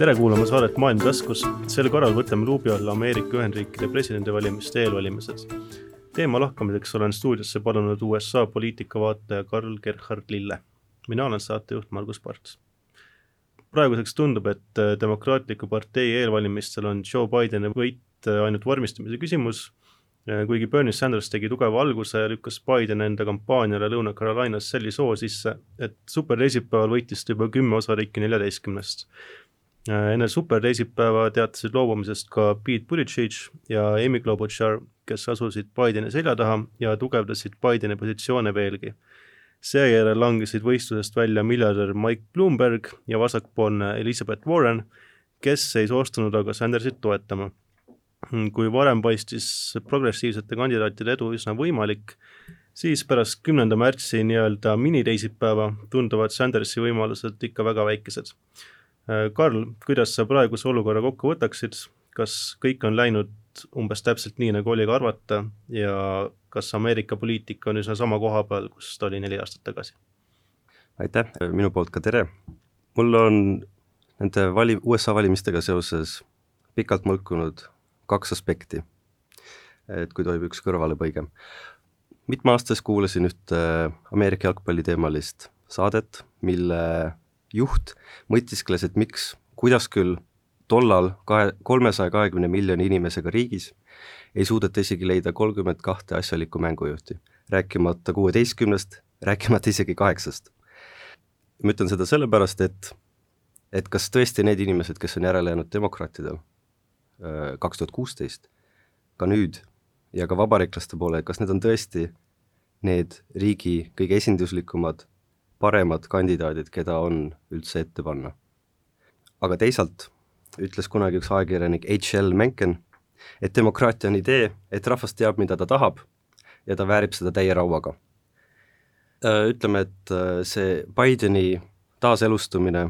Tere kuulama saadet Maailm taskus. Sel korral võtame luubi alla Ameerika Ühendriikide presidendivalimiste eelvalimised. Teema lahkamiseks olen stuudiosse palunud USA poliitikavaataja Karl Gerhard Lille. Mina olen saatejuht Margus Parts. Praeguseks tundub, et Demokraatliku partei eelvalimistel on Joe Bideni võit ainult vormistamise küsimus, kuigi Bernie Sanders tegi tugeva alguse ja lükkas Biden enda kampaaniale Lõuna-Carolinas sellise soo sisse, et superteisipäeval võitis juba 10 osariiki 14. Enne superteisipäeva teatasid loobumisest ka Pete Buttigieg ja Amy Klobuchar, kes asusid Bideni selja taha ja tugevdasid Bideni positsioone veelgi. Seejärel langesid võistlusest välja miljardär Mike Bloomberg ja vasakpoolne Elizabeth Warren, kes ei soostunud aga Sandersit toetama. Kui varem paistis progressiivsete kandidaatide edu üsna võimalik, siis pärast 10. märtsi nii-öelda miniteisipäeva tunduvad Sandersi võimalused ikka väga väikesed. Karl, kuidas sa praeguse olukorra kokku võtaksid? Kas kõik on läinud umbes täpselt nii, nagu oli ka arvata ja kas Ameerika poliitika on üsna sama koha peal, kus ta oli 4 aastat tagasi? Aitäh, minu poolt ka tere. Mul on nende USA valimistega seoses pikalt mõlkunud 2 aspekti, et kui tohib üks kõrvalepõige. Mitme aastas kuulasin ühte Ameerika jalgpalli teemalist saadet, mille juht mõtiskles, et kuidas küll tollal 320 miljoni inimesega riigis ei suudeta isegi leida 32 asjalikku mängujuhti, rääkimata 16, rääkimata isegi 8. Ma ütlen seda sellepärast, et kas tõesti need inimesed, kes on järele jäänud demokraatidel 2016, ka nüüd ja ka vabariiklaste poole, kas need on tõesti need riigi kõige esinduslikumad, paremad kandidaadid, keda on üldse ette panna. Aga teisalt ütles kunagi üks ajakirjanik H.L. Mencken, et demokraatia on idee, et rahvas teab, mida ta tahab ja ta väärib seda täie rauaga. Ütleme, et see Bideni taaselustumine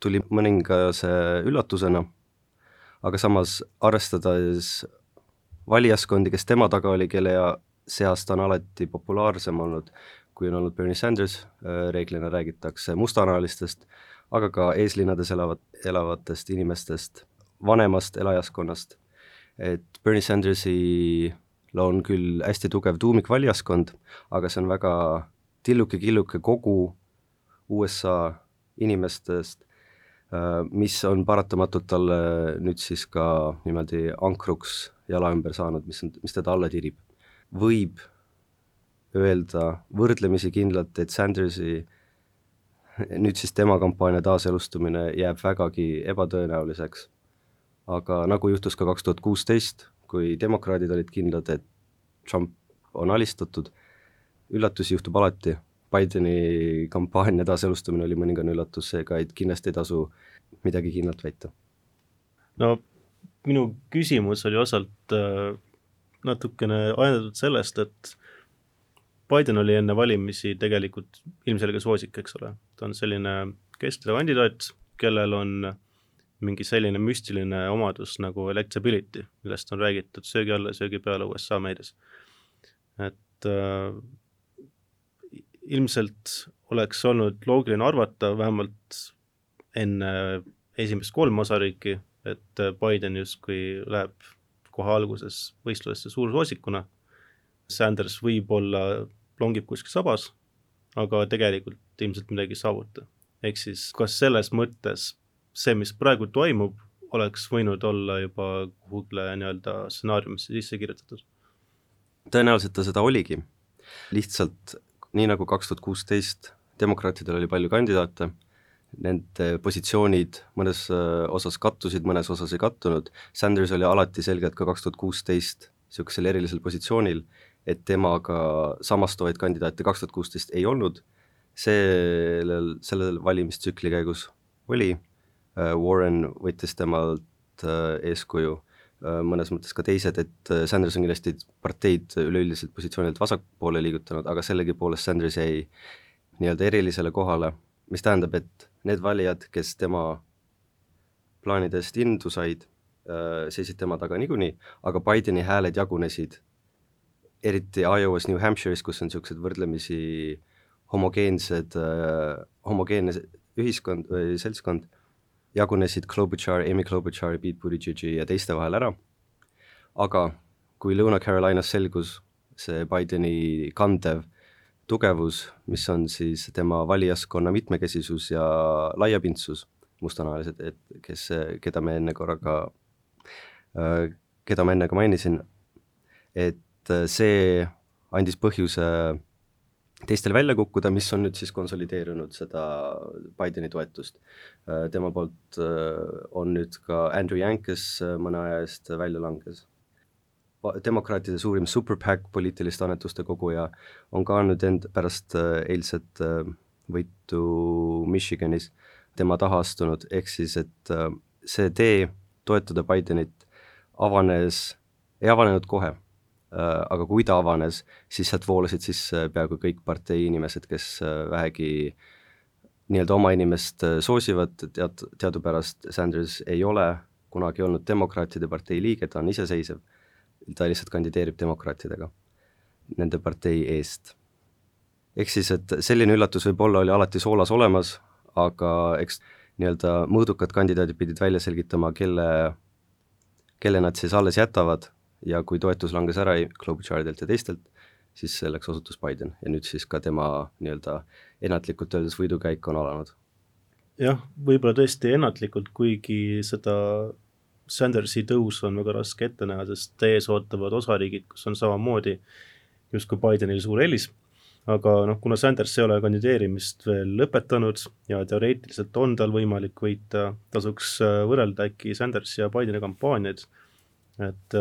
tuli mõningase üllatusena, aga samas arvestades valijaskondi, kes tema taga oli, kelle seast on alati populaarsem olnud, kui on olnud Bernie Sanders, reeglina räägitakse mustanahalistest, aga ka eeslinnades elavatest inimestest, vanemast elajaskonnast. Et Bernie Sandersil on küll hästi tugev tuumikvalijaskond, aga see on väga tilluke-killuke kogu USA inimestest, mis on paratamatult talle nüüd siis ka niimoodi ankruks jala ümber saanud, mis teda alla tirib. Võib öelda võrdlemisi kindlalt, et Sandersi nüüd siis tema kampaania taaselustumine jääb vägagi ebatõenäoliseks. Aga nagu juhtus ka 2016, kui demokraadid olid kindlad, et Trump on alistatud, üllatusi juhtub alati. Bideni kampaania taaselustumine oli mõningane üllatus, seega kindlasti ei tasu midagi kindlalt väita. No, minu küsimus oli osalt natukene ajendatud sellest, et Biden oli enne valimisi tegelikult ilmselge soosik, eks ole. Ta on selline kestev kandidaat, kellel on mingi selline müstiline omadus nagu electability, millest on räägitud söögi alla ja söögi peale USA meedias. Et ilmselt oleks olnud loogiline arvata vähemalt enne esimest 3 osariiki, et Biden justkui läheb kohe alguses võistlusesse suursoosikuna. Sanders võib-olla longib kuskil sabas, aga tegelikult ilmselt midagi saavuta. Ehk siis, kas selles mõttes see, mis praegu toimub, oleks võinud olla juba kuhugle nii-öelda stsenaariumisse sisse kirjutatud? Tõenäoliselt ta seda oligi. Lihtsalt nii nagu 2016 demokraatidel oli palju kandidaate, nende positsioonid mõnes osas kattusid, mõnes osas ei kattunud. Sanders oli alati selgelt ka 2016 sellisel erilisel positsioonil, et temaga samastuvaid kandidaate 2016 ei olnud. Sellel valimistsükli käigus oli. Warren võttis temalt eeskuju, mõnes mõttes ka teised, et Sanders on kindlasti parteid üleüldiselt positsioonilt vasakpoole liigutanud, aga sellegipoolest Sanders jäi nii-öelda erilisele kohale, mis tähendab, et need valijad, kes tema plaanidest indu said, seisid tema taga niikuinii, aga Bideni hääled jagunesid eriti Iowas, New Hampshire'is, kus on sellised võrdlemisi homogeenne ühiskond või seltskond, jagunesid Klobuchar, Amy Klobuchar, Pete Buttigiegi ja teiste vahel ära, aga kui Lõuna-Carolinas selgus see Bideni kandev tugevus, mis on siis tema valijaskonna mitmekesisus ja laiapindsus, mustanahalised, et keda ma enne ka mainisin, et see andis põhjuse teistel välja kukkuda, mis on nüüd siis konsolideerunud seda Bideni toetust. Tema poolt on nüüd ka Andrew Yang, kes mõne aja eest välja langes. Demokraatide suurim Super PAC, poliitiliste annetuste koguja, on ka nüüd pärast eilset võitu Michiganis tema taha astunud, ehk siis, et see tee toetada Bidenit ei avanenud kohe, aga kui ta avanes, siis sealt voolasid sisse peaaegu kõik partei inimesed, kes vähegi nii-öelda oma inimest soosivad. Teadupärast Sanders ei ole kunagi olnud demokraatide partei liige, ta on iseseisev, ta lihtsalt kandideerib demokraatidega nende partei eest. Ehk siis, et selline üllatus võib-olla oli alati soolas olemas, aga eks nii-öelda mõõdukad kandidaadid pidid välja selgitama, kelle nad siis alles jätavad, ja kui toetus langes ära Klobucharidelt ja teistelt, siis selleks osutus Biden ja nüüd siis ka tema nii-öelda ennatlikult öeldes võidukäik on alanud. Jah, võib-olla tõesti ennatlikult, kuigi seda Sandersi tõus on väga raske ette näha, sest ees ootavad osariigid, kus on samamoodi justkui Bidenil suur eelis, aga kuna Sanders ei ole kandideerimist veel lõpetanud ja teoreetiliselt on tal võimalik võita, tasuks võrrelda äkki Sanders ja Bideni kampaaniaid, et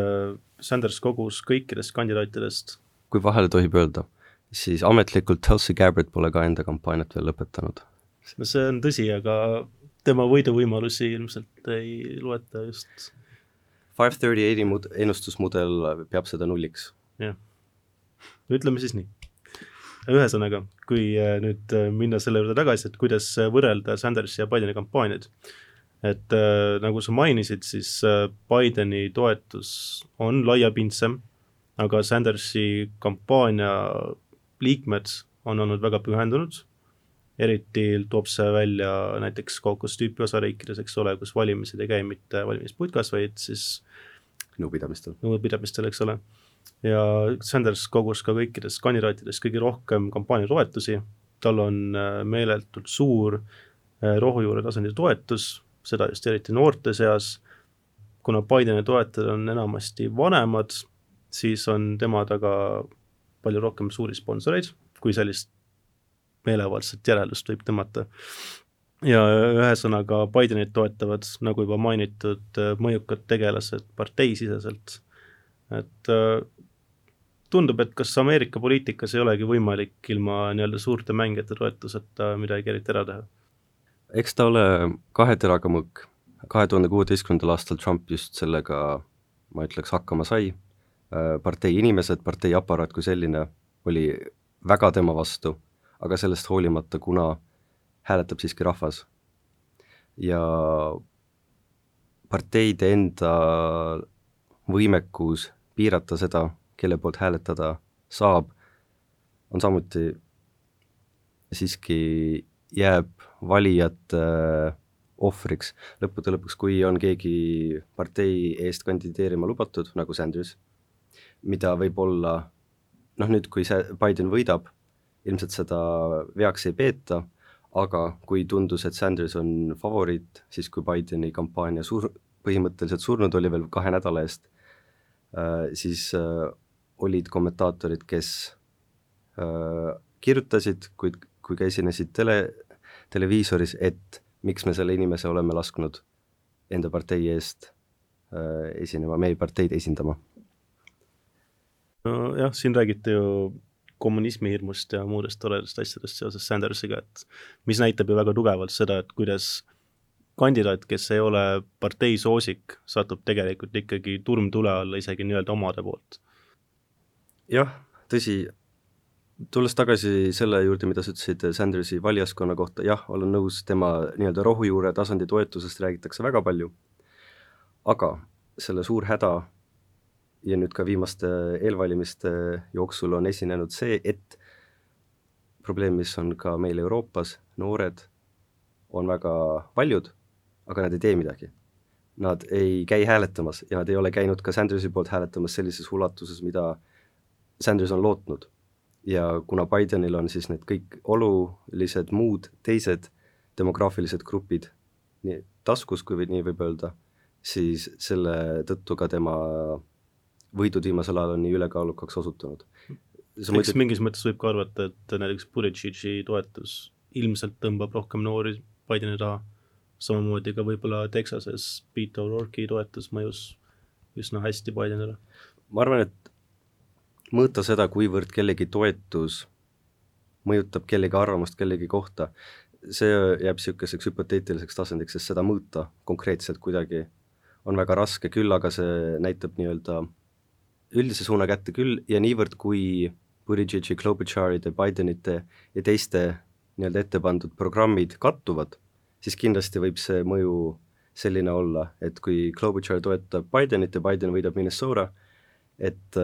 Sanders kogus kõikidest kandidaatidest. Kui vahele tohib öelda, siis ametlikult Tulsi Gabbard pole ka enda kampaaniat veel lõpetanud. No see on tõsi, aga tema võiduvõimalusi ilmselt ei loeta just. 538 ennustusmudel peab seda nulliks. Jah, ütleme siis nii. Ühesõnaga, kui nüüd minna selle juurde tagasi, et kuidas võrrelda Sandersi ja Bideni kampaaniaid, et nagu sa mainisid, siis Bideni toetus on laiapindsem, aga Sandersi kampaania liikmed on olnud väga pühendunud, eriti toob see välja näiteks kaukostüüpi osariikides, eks ole, kus valimised ei käi mitte valimisputkas, vaid siis nõupidamistel, eks ole. Ja Sanders kogus ka kõikidest kandidaatidest kõige rohkem kampaania toetusi, tal on meeletult suur rohujuure tasandi toetus, seda just eriti noorte seas, kuna Bideni toetajad on enamasti vanemad, siis on tema taga palju rohkem suuri sponsoreid, kui sellist meelevaldset järeldust võib tõmmata. Ja ühesõnaga Bidenit toetavad, nagu juba mainitud, mõjukad tegelased parteisiseselt. Et tundub, et kas Ameerika poliitikas ei olegi võimalik ilma nii-öelda suurte mängijate toetuseta midagi eriti ära teha? Eks ta ole kahe teraga mõõk. 2016. aastal Trump just sellega, ma ütleks, hakkama sai. Partei inimesed, partei aparaat kui selline oli väga tema vastu, aga sellest hoolimata, kuna hääletab siiski rahvas. Ja parteide enda võimekus piirata seda, kelle poolt hääletada saab, on samuti siiski jääb valijate ohvriks. Lõppude lõpuks, kui on keegi partei eest kandideerima lubatud, nagu Sanders, mida võib olla, nüüd kui Biden võidab, ilmselt seda veaks ei peeta, aga kui tundus, et Sanders on favoriit, siis kui Bideni kampaania põhimõtteliselt surnud oli veel 2 nädala eest, siis olid kommentaatorid, kes kirjutasid, kui ka esinesid televiisoris, et miks me selle inimese oleme lasknud enda partei eest esinema, meie parteid esindama. No jah, siin räägite ju kommunismi hirmust ja muudest toredast asjadest seoses Sandersiga, et mis näitab ju väga tugevalt seda, et kuidas kandidaat, kes ei ole partei soosik, satub tegelikult ikkagi turmtule alla isegi nii-öelda omade poolt. Jah, tõsi, tulles tagasi selle juurde, mida sa ütlesid Sandersi valijaskonna kohta, jah, olen nõus, tema nii-öelda rohujuure tasandi toetusest räägitakse väga palju, aga selle suur häda ja nüüd ka viimaste eelvalimiste jooksul on esinenud see, et probleem, mis on ka meil Euroopas, noored on väga paljud, aga nad ei tee midagi. Nad ei käi hääletamas ja nad ei ole käinud ka Sandersi poolt hääletamas sellises ulatuses, mida Sanders on lootnud. Ja kuna Bidenil on siis need kõik olulised muud teised demograafilised grupid nii taskus, kui nii võib öelda, siis selle tõttu ka tema võidud viimasel ajal on nii ülekaalukaks osutunud. Eks mingis mõttes võib ka arvata, et näiteks Buttigiegi toetus ilmselt tõmbab rohkem noori Bideni taha, samamoodi ka võib-olla Texases Beto O'Rourke'i toetus mõjus üsna hästi Bidenile. Ma arvan, et mõõta seda, kuivõrd kellegi toetus mõjutab kellegi arvamust kellegi kohta, see jääb niisuguseks hüpoteetiliseks tasandiks, sest seda mõõta konkreetselt kuidagi on väga raske, küll aga see näitab nii-öelda üldise suuna kätte küll ja niivõrd, kui Buttigiegi, Klobucharide, Bidenite ja teiste nii-öelda ette pandud programmid kattuvad, siis kindlasti võib see mõju selline olla, et kui Klobuchar toetab Bidenit ja Biden võidab Minnesota, et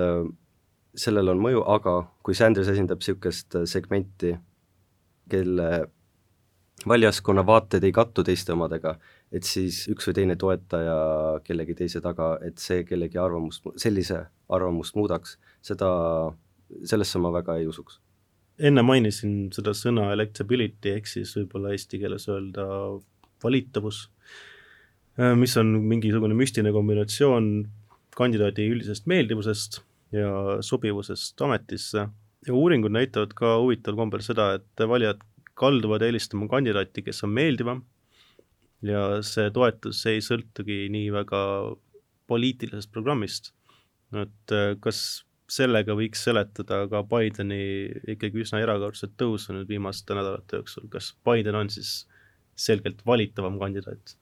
sellel on mõju, aga kui Sanders esindab niisugust segmenti, kelle valijaskonna vaated ei kattu teiste omadega, et siis üks või teine toetaja kellegi teise taga, et see kellegi arvamust, sellise arvamust muudaks, sellesse ma väga ei usuks. Enne mainisin seda sõna electability, ehk siis võib-olla eesti keeles öelda valitavus, mis on mingisugune müstiline kombinatsioon kandidaadi üldisest meeldivusest ja sobivusest ametisse. Ja uuringud näitavad ka huvitaval kombel seda, et valijad kalduvad eelistama kandidaati, kes on meeldivam ja see toetus ei sõltugi nii väga poliitilisest programmist. Et kas sellega võiks seletada ka Bideni ikkagi üsna erakordselt tõusu nüüd viimaste nädalate jooksul, kas Biden on siis selgelt valitavam kandidaat?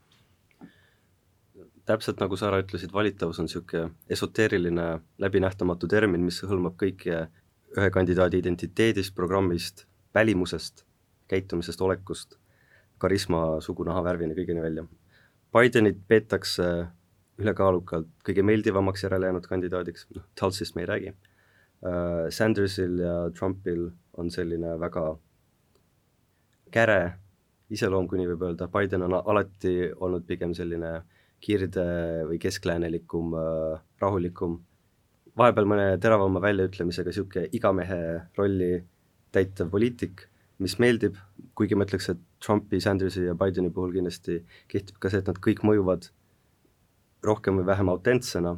Täpselt nagu sa ära ütlesid, valitavus on niisugune esoteeriline läbinähtamatu termin, mis hõlmab kõike ühe kandidaadi identiteedist, programmist, välimusest, käitumisest, olekust, karisma, sugu, nahavärvini, kõigini välja. Bidenit peetakse ülekaalukalt kõige meeldivamaks järele jäänud kandidaadiks, Tulsist me ei räägi. Sandersil ja Trumpil on selline väga käre iseloom, kui nii võib öelda. Biden on alati olnud pigem selline kirde või keskläänelikum, rahulikum, vahepeal mõne teravama väljaütlemisega niisugune igamehe rolli täitev poliitik, mis meeldib, kuigi ma ütleks, et Trumpi, Sandersi ja Bideni puhul kindlasti kehtib ka see, et nad kõik mõjuvad rohkem või vähem autentsena,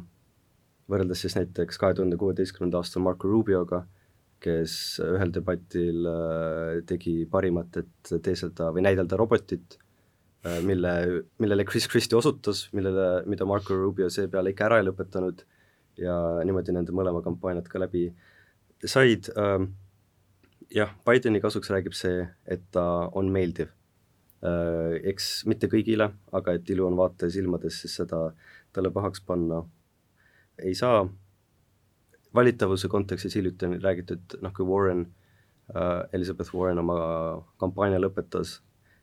võrreldes siis näiteks 2016. aastal Marco Rubioga, kes ühel debatil tegi parimat, et teeselda või näidelda robotit, millele Chris Christie osutas, mida Marco Rubio seepeale ikka ära ei lõpetanud ja niimoodi nende mõlema kampaaniad ka läbi said. Jah, Bideni kasuks räägib see, et ta on meeldiv. Eks mitte kõigile, aga et ilu on vaataja silmades, siis seda talle pahaks panna ei saa. Valitavuse kontekstis hiljuti on räägitud, kui Elizabeth Warren oma kampaania lõpetas,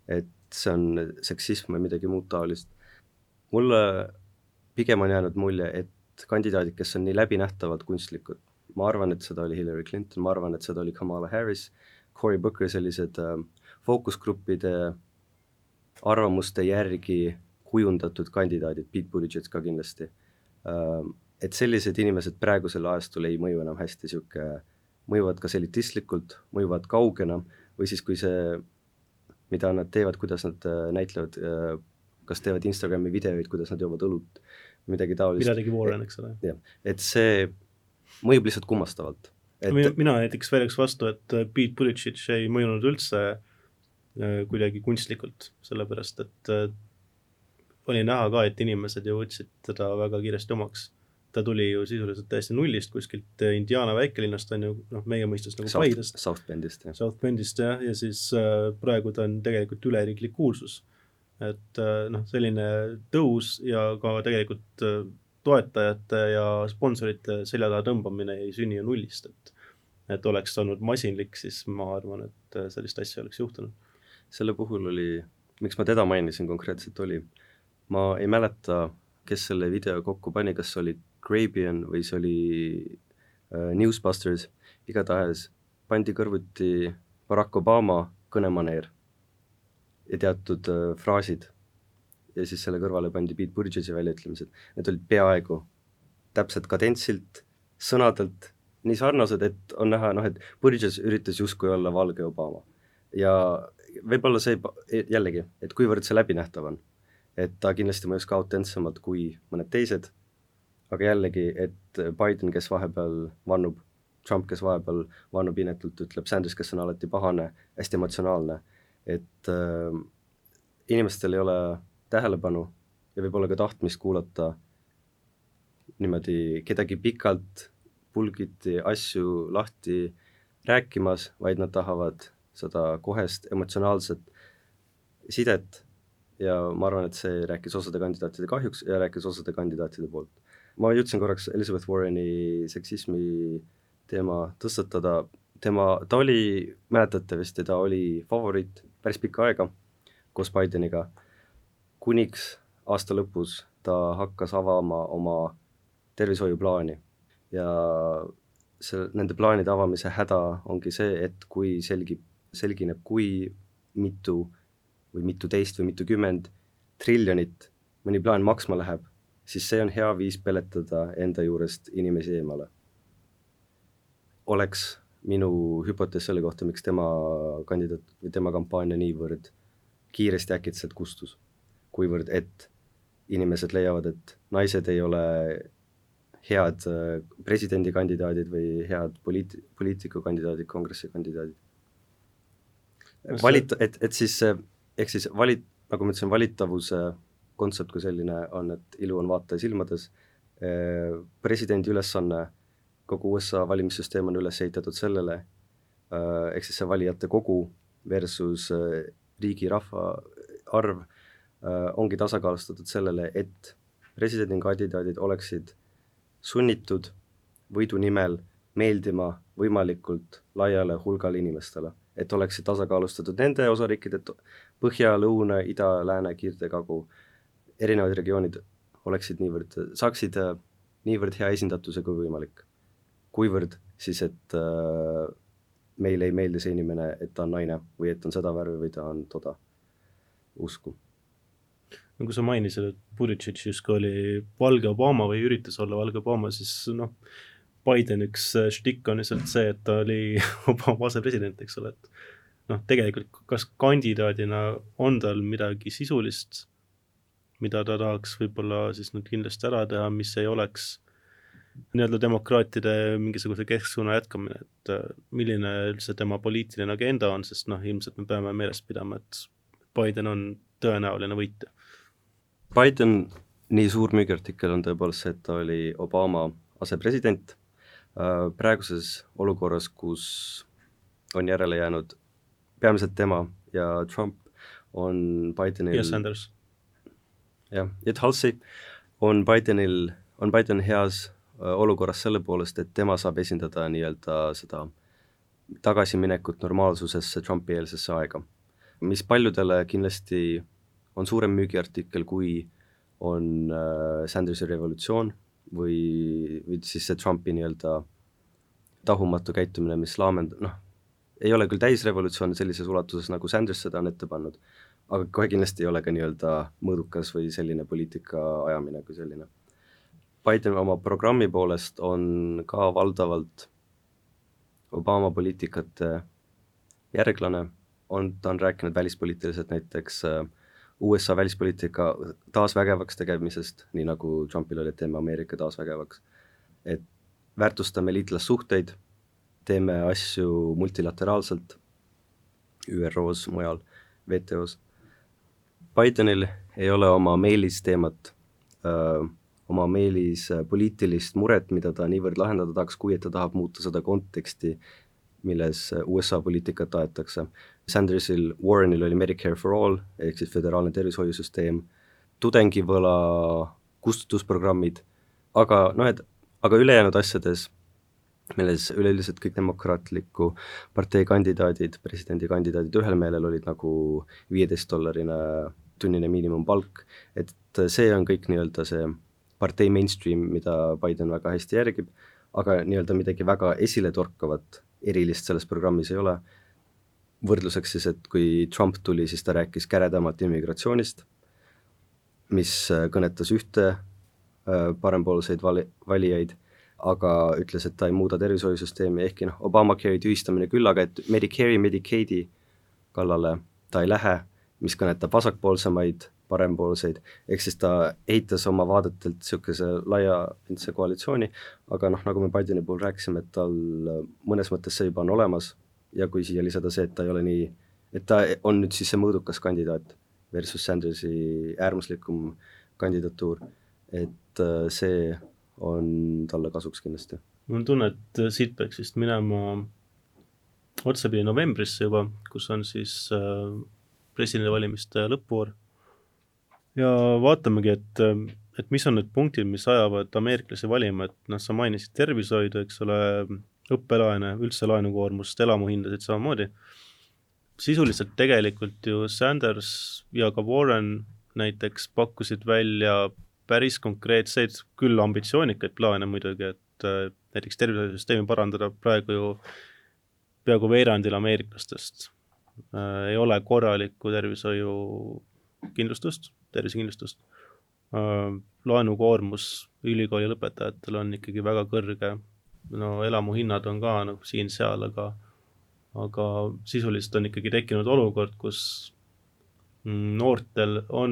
et see on seksism või midagi muud taolist. Mulle pigem on jäänud mulje, et kandidaadid, kes on nii läbinähtavad kunstlikud, ma arvan, et seda oli Hillary Clinton, ma arvan, et seda oli Kamala Harris, Cory Booker, sellised fookusgruppide arvamuste järgi kujundatud kandidaadid, Pete Buttigieg ka kindlasti, et sellised inimesed praegusel ajastul ei mõju enam hästi, mõjuvad kas elitistlikult, mõjuvad kaugena või siis kui see, mida nad teevad, kuidas nad näitlevad, kas teevad Instagrami videoid, kuidas nad joovad õlut, midagi taolist. Mida tegi Warren, eks ole. Et see mõjub lihtsalt kummastavalt. Mina näiteks väljaks vastu, et Pete Buttigieg ei mõjunud üldse kuidagi kunstlikult, sellepärast et oli näha ka, et inimesed ju võtsid teda väga kiiresti omaks. Ta tuli ju sisuliselt täiesti nullist kuskilt Indiana väikelinnast, on ju meie mõistes nagu Paidest. South Bendist, jah, ja siis praegu ta on tegelikult üleriiklik kuulsus. Et selline tõus ja ka tegelikult toetajate ja sponsorite selja taha tõmbamine ei sünni ju nullist, et oleks olnud masinlik, siis ma arvan, et sellist asja oleks juhtunud. Selle puhul oli, miks ma teda mainisin konkreetselt oli, ma ei mäleta, kes selle video kokku pani, kas oli Grabian või see oli Newsbusters, igatahes pandi kõrvuti Barack Obama kõnemaneer ja teatud fraasid ja siis selle kõrvale pandi Pete Buttigiegi väljaütlemised, need olid peaaegu täpselt kadentsilt, sõnadelt nii sarnased, et on näha, et Buttigieg üritas justkui olla valge Obama. Ja võib-olla see jällegi, et kuivõrd see läbinähtav on, et ta kindlasti mõjus ka autentsemalt kui mõned teised, aga jällegi, et Biden, kes vahepeal vannub, Trump, kes vahepeal vannub inetult, ütleb Sanders, kes on alati pahane, hästi emotsionaalne, et inimestel ei ole tähelepanu ja võib-olla ka tahtmist kuulata niimoodi kedagi pikalt pulgiti asju lahti rääkimas, vaid nad tahavad seda kohest emotsionaalset sidet ja ma arvan, et see rääkis osade kandidaatide kahjuks ja rääkis osade kandidaatide poolt. Ma jõudsin korraks Elizabeth Warreni seksismi teema tõstatada, ta oli, mäletate vist, ta oli favoriit päris pikka aega koos Bideniga, kuniks aasta lõpus ta hakkas avama oma tervishoiuplaani ja nende plaanide avamise häda ongi see, et kui selgineb, kui mitu või mituteist või mitukümmend triljonit mõni plaan maksma läheb, siis see on hea viis peletada enda juurest inimesi eemale. Oleks minu hüpotees selle kohta, miks tema kandidaat või tema kampaania niivõrd kiiresti äkitselt kustus, kuivõrd et inimesed leiavad, et naised ei ole head presidendikandidaadid või head poliitikukandidaadid, kongressikandidaadid. Nagu ma ütlesin, valitavuse kontsept kui selline on, et ilu on vaataja silmades. Presidendi ülesanne, kogu USA valimissüsteem on üles ehitatud sellele, ehk siis see valijate kogu versus riigi rahva arv ongi tasakaalustatud sellele, et presidendikandidaadid oleksid sunnitud võidu nimel meeldima võimalikult laiale hulgale inimestele, et oleksid tasakaalustatud nende osariikide põhja, lõuna, ida, lääne, kiirde, kagu, erinevad regioonid saaksid niivõrd hea esindatuse kui võimalik. Kuivõrd siis, et meile ei meeldi see inimene, et ta on naine või et on seda värvi või ta on toda usku. Kui sa mainisid, et Buttigieg justkui oli valge Obama või üritas olla valge Obama, siis Biden üks štikk on lihtsalt see, et ta oli Obama asepresident, eks ole, et tegelikult kas kandidaadina on tal midagi sisulist, mida ta tahaks võib-olla siis nüüd kindlasti ära teha, mis ei oleks nii-öelda demokraatide mingisuguse kesksuuna jätkamine, et milline üldse tema poliitiline agenda on, sest ilmselt me peame meeles pidama, et Biden on tõenäoline võitja. Biden, nii suur müügiartikkel on tõepoolest see, et ta oli Obama asepresident. Praeguses olukorras, kus on järele jäänud peamiselt tema ja Trump, on Bidenil ja Sanders. Ja Tulsi on Biden heas olukorras selle poolest, et tema saab esindada nii-öelda seda tagasiminekut normaalsusesse Trumpi-eelsesse aega, mis paljudele kindlasti on suurem müügiartikkel, kui on Sandersi revolutsioon või siis see Trumpi nii-öelda tahumatu käitumine, mis ei ole küll täisrevolutsioon sellises ulatuses, nagu Sanders seda on ette pannud, aga kohe kindlasti ei ole ka nii-öelda mõõdukas või selline poliitika ajamine kui selline. Biden oma programmi poolest on ka valdavalt Obama poliitikate järglane, ta on rääkinud välispoliitiliselt näiteks USA välispoliitika taasvägevaks tegemisest, nii nagu Trumpil oli, et teeme Ameerika taasvägevaks, et väärtustame liitlassuhteid, teeme asju multilateraalselt, ÜRO-s, mujal, WTO-s. Bidenil ei ole oma meelisteemat, oma meelis poliitilist muret, mida ta niivõrd lahendada tahaks, kui et ta tahab muuta seda konteksti, milles USA poliitikat aetakse. Sandersil, Warrenil oli Medicare for All, ehk siis föderaalne tervishoiusüsteem, tudengivõla kustutusprogrammid, aga ülejäänud asjades, milles üleüldiselt kõik demokraatliku partei kandidaadid, presidendikandidaadid ühel meelel olid nagu $15 tunnine miinimumpalk, et see on kõik nii-öelda see partei mainstream, mida Biden väga hästi järgib, aga nii-öelda midagi väga esile torkavat erilist selles programmis ei ole. Võrdluseks siis, et kui Trump tuli, siis ta rääkis käredamalt immigratsioonist, mis kõnetas ühte parempoolseid valijaid, aga ütles, et ta ei muuda tervishoiusüsteemi, ehkki Obamacare tühistamine küll, aga et Medicare'i, Medicaidi kallale ta ei lähe, mis kõnetab vasakpoolsemaid, parempoolseid, ehk siis ta eitas oma vaadetelt niisuguse laiapindse koalitsiooni, aga nagu me Bideni puhul rääkisime, et tal mõnes mõttes see juba on olemas ja kui siia lisada see, et ta ei ole nii, et ta on nüüd siis see mõõdukas kandidaat versus Sandersi äärmuslikum kandidatuur, et see on talle kasuks kindlasti. Mul on tunne, et siit peaks vist minema otsapidi novembrisse juba, kus on siis presidendivalimiste lõpuvoor. Ja vaatamegi, et mis on need punktid, mis ajavad ameeriklasi valima, et sa mainisid tervishoidu, eks ole, õppelaene, üldse laenukoormust, elamuhindasid samamoodi. Sisuliselt tegelikult ju Sanders ja ka Warren näiteks pakkusid välja päris konkreetseid, küll ambitsioonikaid plaane muidugi, et näiteks tervishoiusüsteemi parandada praegu ju peaaegu veerandil ameeriklastest ei ole korralikku tervishoiukindlustust, tervisekindlustust. Laenukoormus ülikooli lõpetajatel on ikkagi väga kõrge, elamuhinnad on ka siin-seal, aga sisuliselt on ikkagi tekkinud olukord, kus noortel on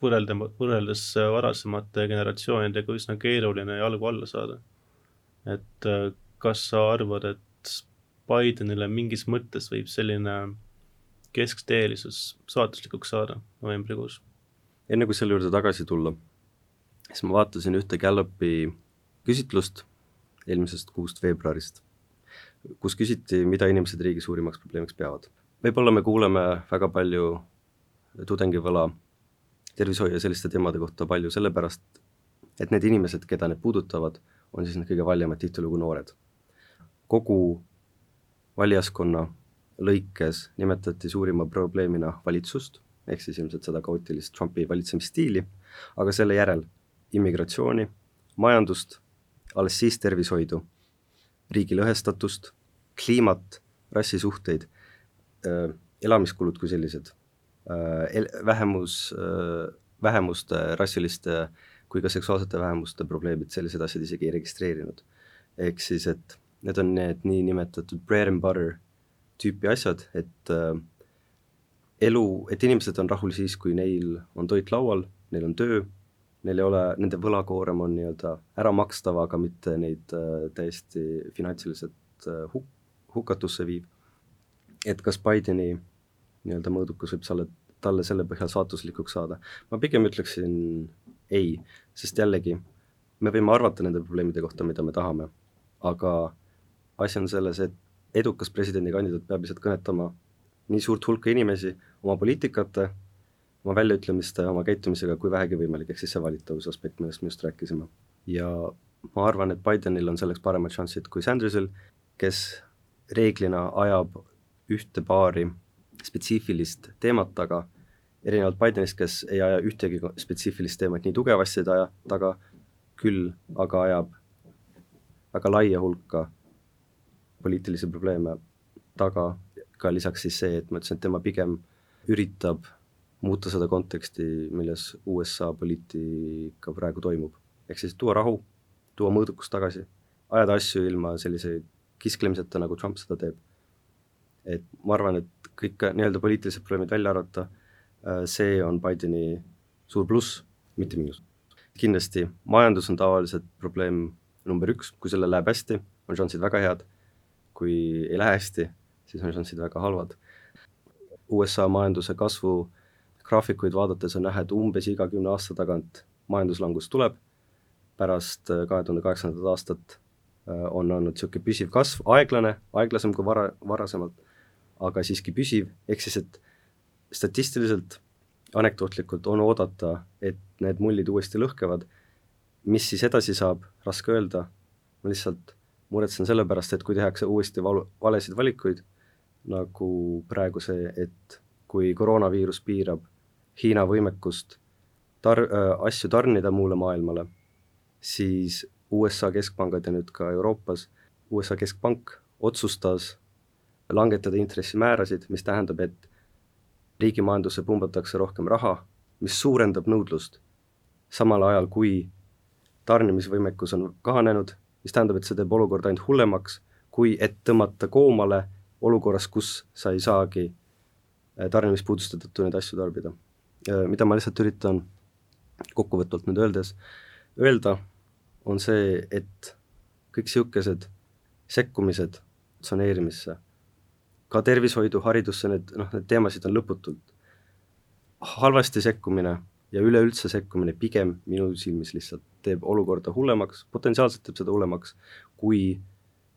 võrreldes varasemate generatsioonidega üsna keeruline jalgu alla saada. Et kas sa arvad, et Bidenile mingis mõttes võib selline keskteelisus saatuslikuks saada novembrikuus? Enne kui selle juurde tagasi tulla, siis ma vaatasin ühte Gallupi küsitlust eelmisest kuust veebruarist, kus küsiti, mida inimesed riigi suurimaks probleemiks peavad. Võib-olla me kuuleme väga palju tudengivõla tervishoiu ja selliste teemade kohta palju sellepärast, et need inimesed, keda need puudutavad, on siis need kõige valijamad tihtilugu noored. Kogu valijaskonna lõikes nimetati suurima probleemina valitsust, ehk siis ilmselt seda kaootilist Trumpi valitsemisstiili, aga selle järel immigratsiooni, majandust, alles siis tervishoidu, riigi lõhestatust, kliimat, rassisuhteid, elamiskulud kui sellised, vähemuste, rassiliste kui ka seksuaalsete vähemuste probleemid, sellised asjad isegi ei registreerinud. Ehk siis, et need on need nii nimetatud bread and butter tüüpi asjad, et et inimesed on rahul siis, kui neil on toit laual, neil on töö, neil ei ole, nende võlakoorem on nii-öelda ära makstav, aga mitte neid täiesti finantsiliselt hukatusse viib. Et kas Bideni nii-öelda mõõdukus võib talle selle põhjal saatuslikuks saada? Ma pigem ütleksin ei, sest jällegi me võime arvata nende probleemide kohta, mida me tahame, aga asi on selles, et edukas presidendikandidaat peab lihtsalt kõnetama nii suurt hulka inimesi oma poliitikate, oma väljaütlemiste, oma käitumisega kui vähegi võimalik, ehk siis see valitavuse aspekt, millest me just rääkisime. Ja ma arvan, et Bidenil on selleks paremad šansid kui Sandersil, kes reeglina ajab ühte paari spetsiifilist teemat taga, erinevalt Bidenist, kes ei aja ühtegi spetsiifilist teemat nii tugevasti taga, küll aga ajab väga laia hulka poliitilisi probleeme taga, ka lisaks siis see, et ma ütlesin, et tema pigem üritab muuta seda konteksti, milles USA poliitika praegu toimub. Ehk siis tuua rahu, tuua mõõdukus tagasi, ajada asju ilma sellise kisklemiseta, nagu Trump seda teeb. Et ma arvan, et kõik nii-öelda poliitilised probleemid välja arvata, see on Bideni suur pluss, mitte miinus. Kindlasti majandus on tavaliselt probleem number 1, kui selle läheb hästi, on šansid väga head, kui ei lähe hästi, siis on šansid väga halvad. USA majanduse kasvu graafikuid vaadates on näha, et umbes iga 10 aasta tagant majanduslangus tuleb, pärast 2008. aastat on olnud niisugune püsiv kasv, aeglasem kui varasemalt, aga siiski püsiv, ehk siis, et statistiliselt, anekdootlikult on oodata, et need mullid uuesti lõhkevad. Mis siis edasi saab, raske öelda, ma lihtsalt muretsen selle pärast, et kui tehakse uuesti valesid valikuid, nagu praegu see, et kui koroonaviirus piirab Hiina võimekust asju tarnida muule maailmale, siis USA keskpangad ja nüüd ka Euroopas, USA keskpank otsustas langetada intressimäärasid, mis tähendab, et riigi majandusse pumbatakse rohkem raha mis suurendab nõudlust, samal ajal kui tarnimisvõimekus on kahanenud, mis tähendab, et see teeb olukorda ainult hullemaks, kui et tõmmata koomale olukorras, kus sa ei saagi tarnimispuuduste tõttu neid asju tarbida. Mida ma lihtsalt üritan kokkuvõtvalt nüüd öelda, on see, et kõik siukesed sekkumised tsoneerimisse, ka tervishoidu, haridusse, need teemasid on lõputult. Halvasti sekkumine ja üleüldse sekkumine pigem minu silmis lihtsalt teeb olukorda hullemaks, potentsiaalselt teeb seda hullemaks, kui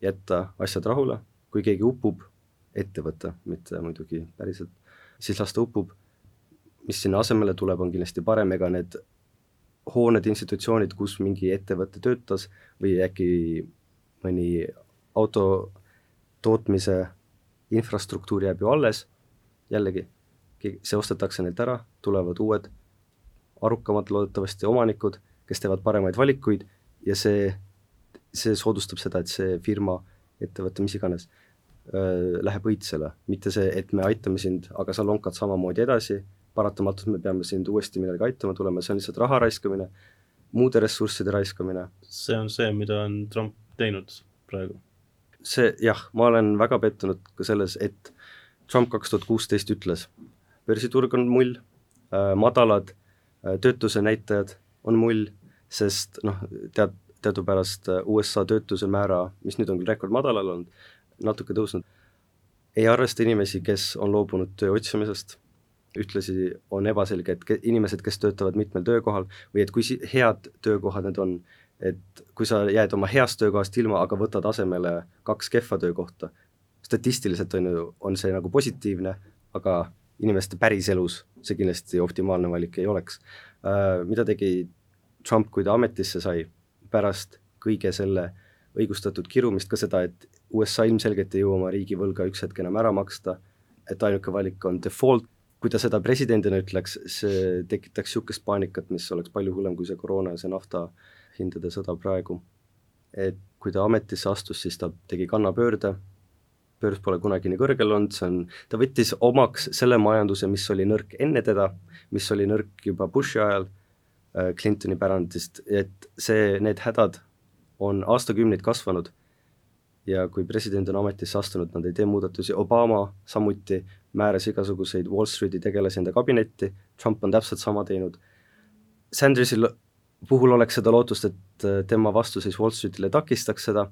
jätta asjad rahule, kui keegi upub, ettevõte, mitte muidugi päriselt, siis lasta upub, mis sinna asemele tuleb, on kindlasti parem, ega need hooned, institutsioonid, kus mingi ettevõte töötas või äkki mõni auto tootmise infrastruktuur jääb ju alles, jällegi, see ostetakse neilt ära, tulevad uued arukamad loodetavasti omanikud, kes teevad paremaid valikuid ja see soodustab seda, et see firma, ettevõte, mis iganes, läheb õitsele, mitte see, et me aitame sind, aga sa lonkad samamoodi edasi, paratamatult me peame sind uuesti millega aitama tulema, see on lihtsalt raha raiskamine, muude ressursside raiskamine. See on see, mida on Trump teinud praegu. Ma olen väga pettunud ka selles, et Trump 2016 ütles, börsiturg on mull, madalad töötuse näitajad on mull, sest teadupärast USA töötuse määra, mis nüüd on küll rekord madalal olnud, natuke tõusnud, ei arvesta inimesi, kes on loobunud töö otsimisest, ühtlasi on ebaselge, et inimesed, kes töötavad mitmel töökohal või et kui head töökohad need on, et kui sa jääd oma heast töökohast ilma, aga võtad asemele 2 kehva töökohta, statistiliselt on see nagu positiivne, aga inimeste päriselus see kindlasti optimaalne valik ei oleks. Mida tegi Trump, kui ta ametisse sai, pärast kõige selle õigustatud kirumist ka seda, et USA ilmselgelt ei jõua oma riigivõlga üks hetk enam ära maksta, et ainuke valik on default. Kui ta seda presidendina ütleks, see tekitaks siukest paanikat, mis oleks palju hullem kui see koroona ja see nafta hindade sõda praegu. Et kui ta ametisse astus, siis ta tegi kannapöörde, börs pole kunagi nii kõrgel olnud, ta võttis omaks selle majanduse, mis oli nõrk enne teda, mis oli nõrk juba Bushi ajal, Clintoni pärandist, et need hädad on aastakümneid kasvanud ja kui president on ametisse astunud, nad ei tee muudatusi, Obama samuti määras igasuguseid Wall Streeti tegelasi enda kabinetti, Trump on täpselt sama teinud. Sandersil puhul oleks seda lootust, et tema vastuseis Wall Streetile takistaks seda,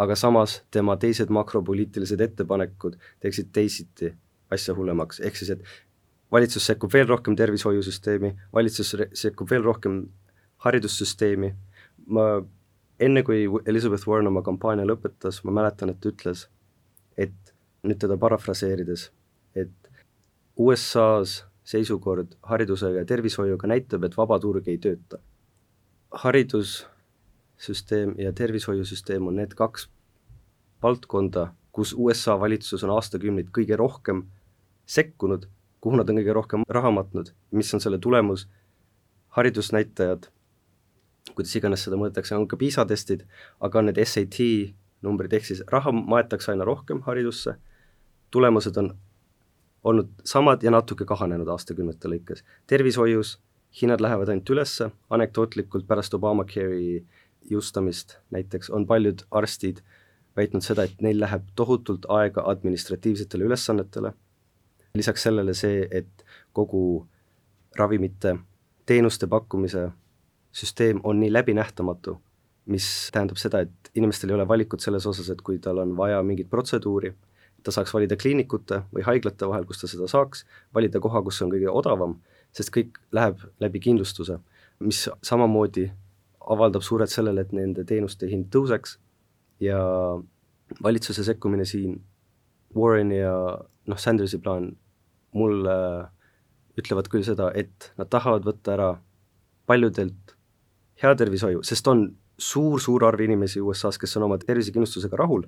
aga samas tema teised makropoliitilised ettepanekud teeksid teisiti asja hullemaks, ehk siis, et valitsus sekkub veel rohkem tervishoiusüsteemi, valitsus sekkub veel rohkem haridussüsteemi. Enne kui Elizabeth Warren oma kampaania lõpetas, ma mäletan, et ütles, et nüüd teda parafraseerides, et USA's seisukord hariduse ja tervishoiuga näitab, et vaba turg ei tööta. Haridussüsteem ja tervishoiusüsteem on need 2 valdkonda, kus USA valitsus on aastakümneid kõige rohkem sekkunud, kuhu nad on kõige rohkem raha matnud, mis on selle tulemus, haridusnäitajad, kuidas iganes seda mõõdetakse, on ka PISA-testid, aga need SAT numbrid, ehk siis raha maetakse aina rohkem haridusse, tulemused on olnud samad ja natuke kahanenud aastakümnete lõikes. Tervishoius hinnad lähevad ainult ülesse, anekdootlikult pärast Obamacare'i jõustamist näiteks on paljud arstid väitnud seda, et neil läheb tohutult aega administratiivsetele ülesannetele. Lisaks sellele see, et kogu ravimite teenuste pakkumise süsteem on nii läbinähtamatu, mis tähendab seda, et inimestel ei ole valikut selles osas, et kui tal on vaja mingit protseduuri, ta saaks valida kliinikute või haiglate vahel, kus ta seda saaks, valida koha, kus on kõige odavam, sest kõik läheb läbi kindlustuse, mis samamoodi avaldab suurelt sellele, et nende teenuste hind tõuseks ja valitsuse sekkumine siin, Warren ja Sandersi plaan mulle ütlevad küll seda, et nad tahavad võtta ära paljudelt hea tervishoiu, sest on suur arv inimesi USA-s, kes on oma tervisekindlustusega rahul.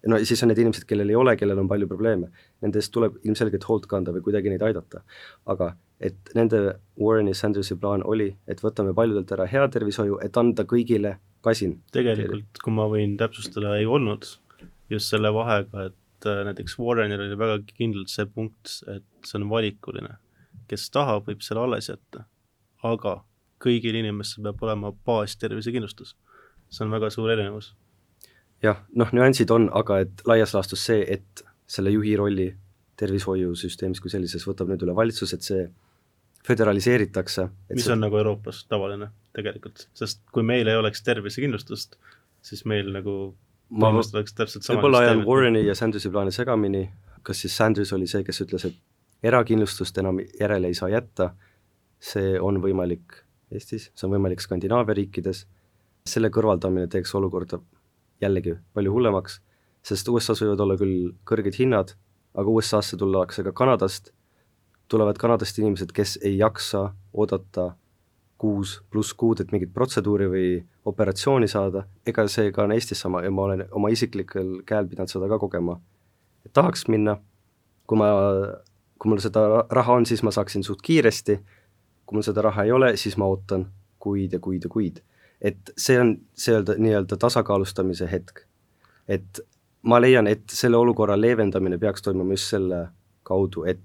No siis on need inimesed, kellel ei ole, kellel on palju probleeme. Nendest tuleb ilmselgelt hoolt kanda või kuidagi neid aidata. Aga et nende Warren ja Sandersi plaan oli, et võtame paljudelt ära hea tervishoiu, et anda kõigile kasin. Tegelikult, kui ma võin täpsustada, ei olnud just selle vahega, et näiteks Warrenil oli väga kindlalt see punkt, et see on valikuline. Kes tahab, võib selle alles jätta. aga kõigil inimestel peab olema baastervisekindlustus. See on väga suur erinevus. Jah, nüansid on, aga et laias laastus see, et selle juhi rolli tervishoiusüsteemis kui sellises võtab nüüd üle valitsus, et see föderaliseeritakse. Mis on nagu Euroopas tavaline tegelikult, sest kui meil ei oleks tervisekindlustust, siis meil nagu põhimõtteliselt oleks täpselt sama. Võib-olla ajan Warreni ja Sandersi plaani segamini, kas siis Sanders oli see, kes ütles, et erakindlustust enam järele ei saa jätta, see on võimalik Eestis, see on võimalik Skandinaavia riikides, selle kõrvaldamine teeks olukorda jällegi palju hullemaks, sest USA-s võivad olla küll kõrged hinnad, aga USA-sse tullakse ka Kanadast, tulevad Kanadast inimesed, kes ei jaksa oodata 6+ kuud, et mingit protseduuri või operatsiooni saada, ega see ka on Eestis sama ja ma olen oma isiklikel käel pidanud seda ka kogema. Et tahaks minna, kui mul seda raha on, siis ma saaksin suht kiiresti, kui mul seda raha ei ole, siis ma ootan kuid ja kuid ja kuid. Et see on nii-öelda tasakaalustamise hetk. Et ma leian, et selle olukorra leevendamine peaks toimuma just selle kaudu, et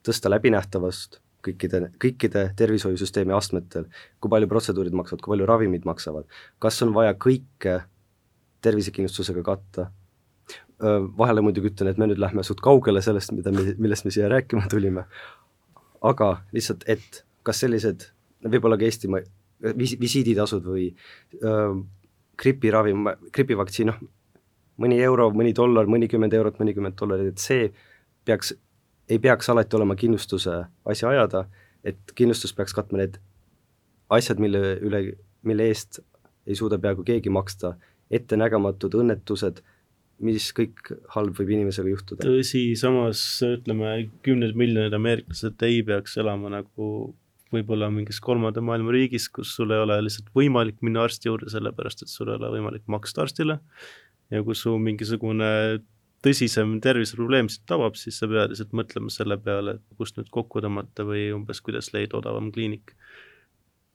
tõsta läbinähtavast kõikide tervishoiusüsteemi astmetel, kui palju protseduurid maksavad, kui palju ravimid maksavad, kas on vaja kõike tervisekindlustusega katta. Vahele muidugi ütlen, et me nüüd lähme suht kaugele sellest, millest me siia rääkima tulime, aga lihtsalt, et kas sellised, võib-olla ka Eesti visiiditasud või gripivaktsiin, mõni euro, mõni dollar, mõnikümmend eurot, mõnikümmend dollarit, et see ei peaks alati olema kindlustuse asja ajada, et kindlustus peaks katma need asjad, mille eest ei suuda peaaegu keegi maksta, ettenägematud õnnetused, mis kõik halb võib inimesega juhtuda. Tõsi, samas ütleme, 10 miljonid ameeriklased ei peaks elama nagu võib-olla mingis 3. maailma riigis, kus sul ei ole lihtsalt võimalik minna arsti juurde, sellepärast et sul ei ole võimalik maksta arstile ja kui su mingisugune tõsisem terviseprobleem siit tabab, siis sa pead lihtsalt mõtlema selle peale, et kust nüüd kokku tõmmata või umbes kuidas leida odavam kliinik.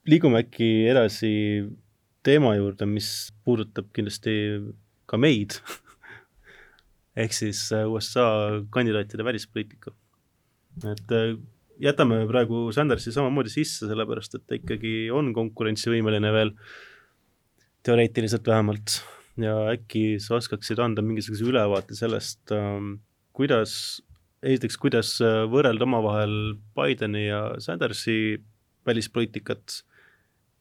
Liigume äkki edasi teema juurde, mis puudutab kindlasti ka meid, ehk siis USA kandidaatide välispoliitika. Et jätame praegu Sandersi samamoodi sisse, sellepärast et ta ikkagi on konkurentsivõimeline veel, teoreetiliselt vähemalt. Ja äkki sa oskaksid anda mingisuguse ülevaate sellest, kuidas võrrelda omavahel Bideni ja Sandersi välispoliitikat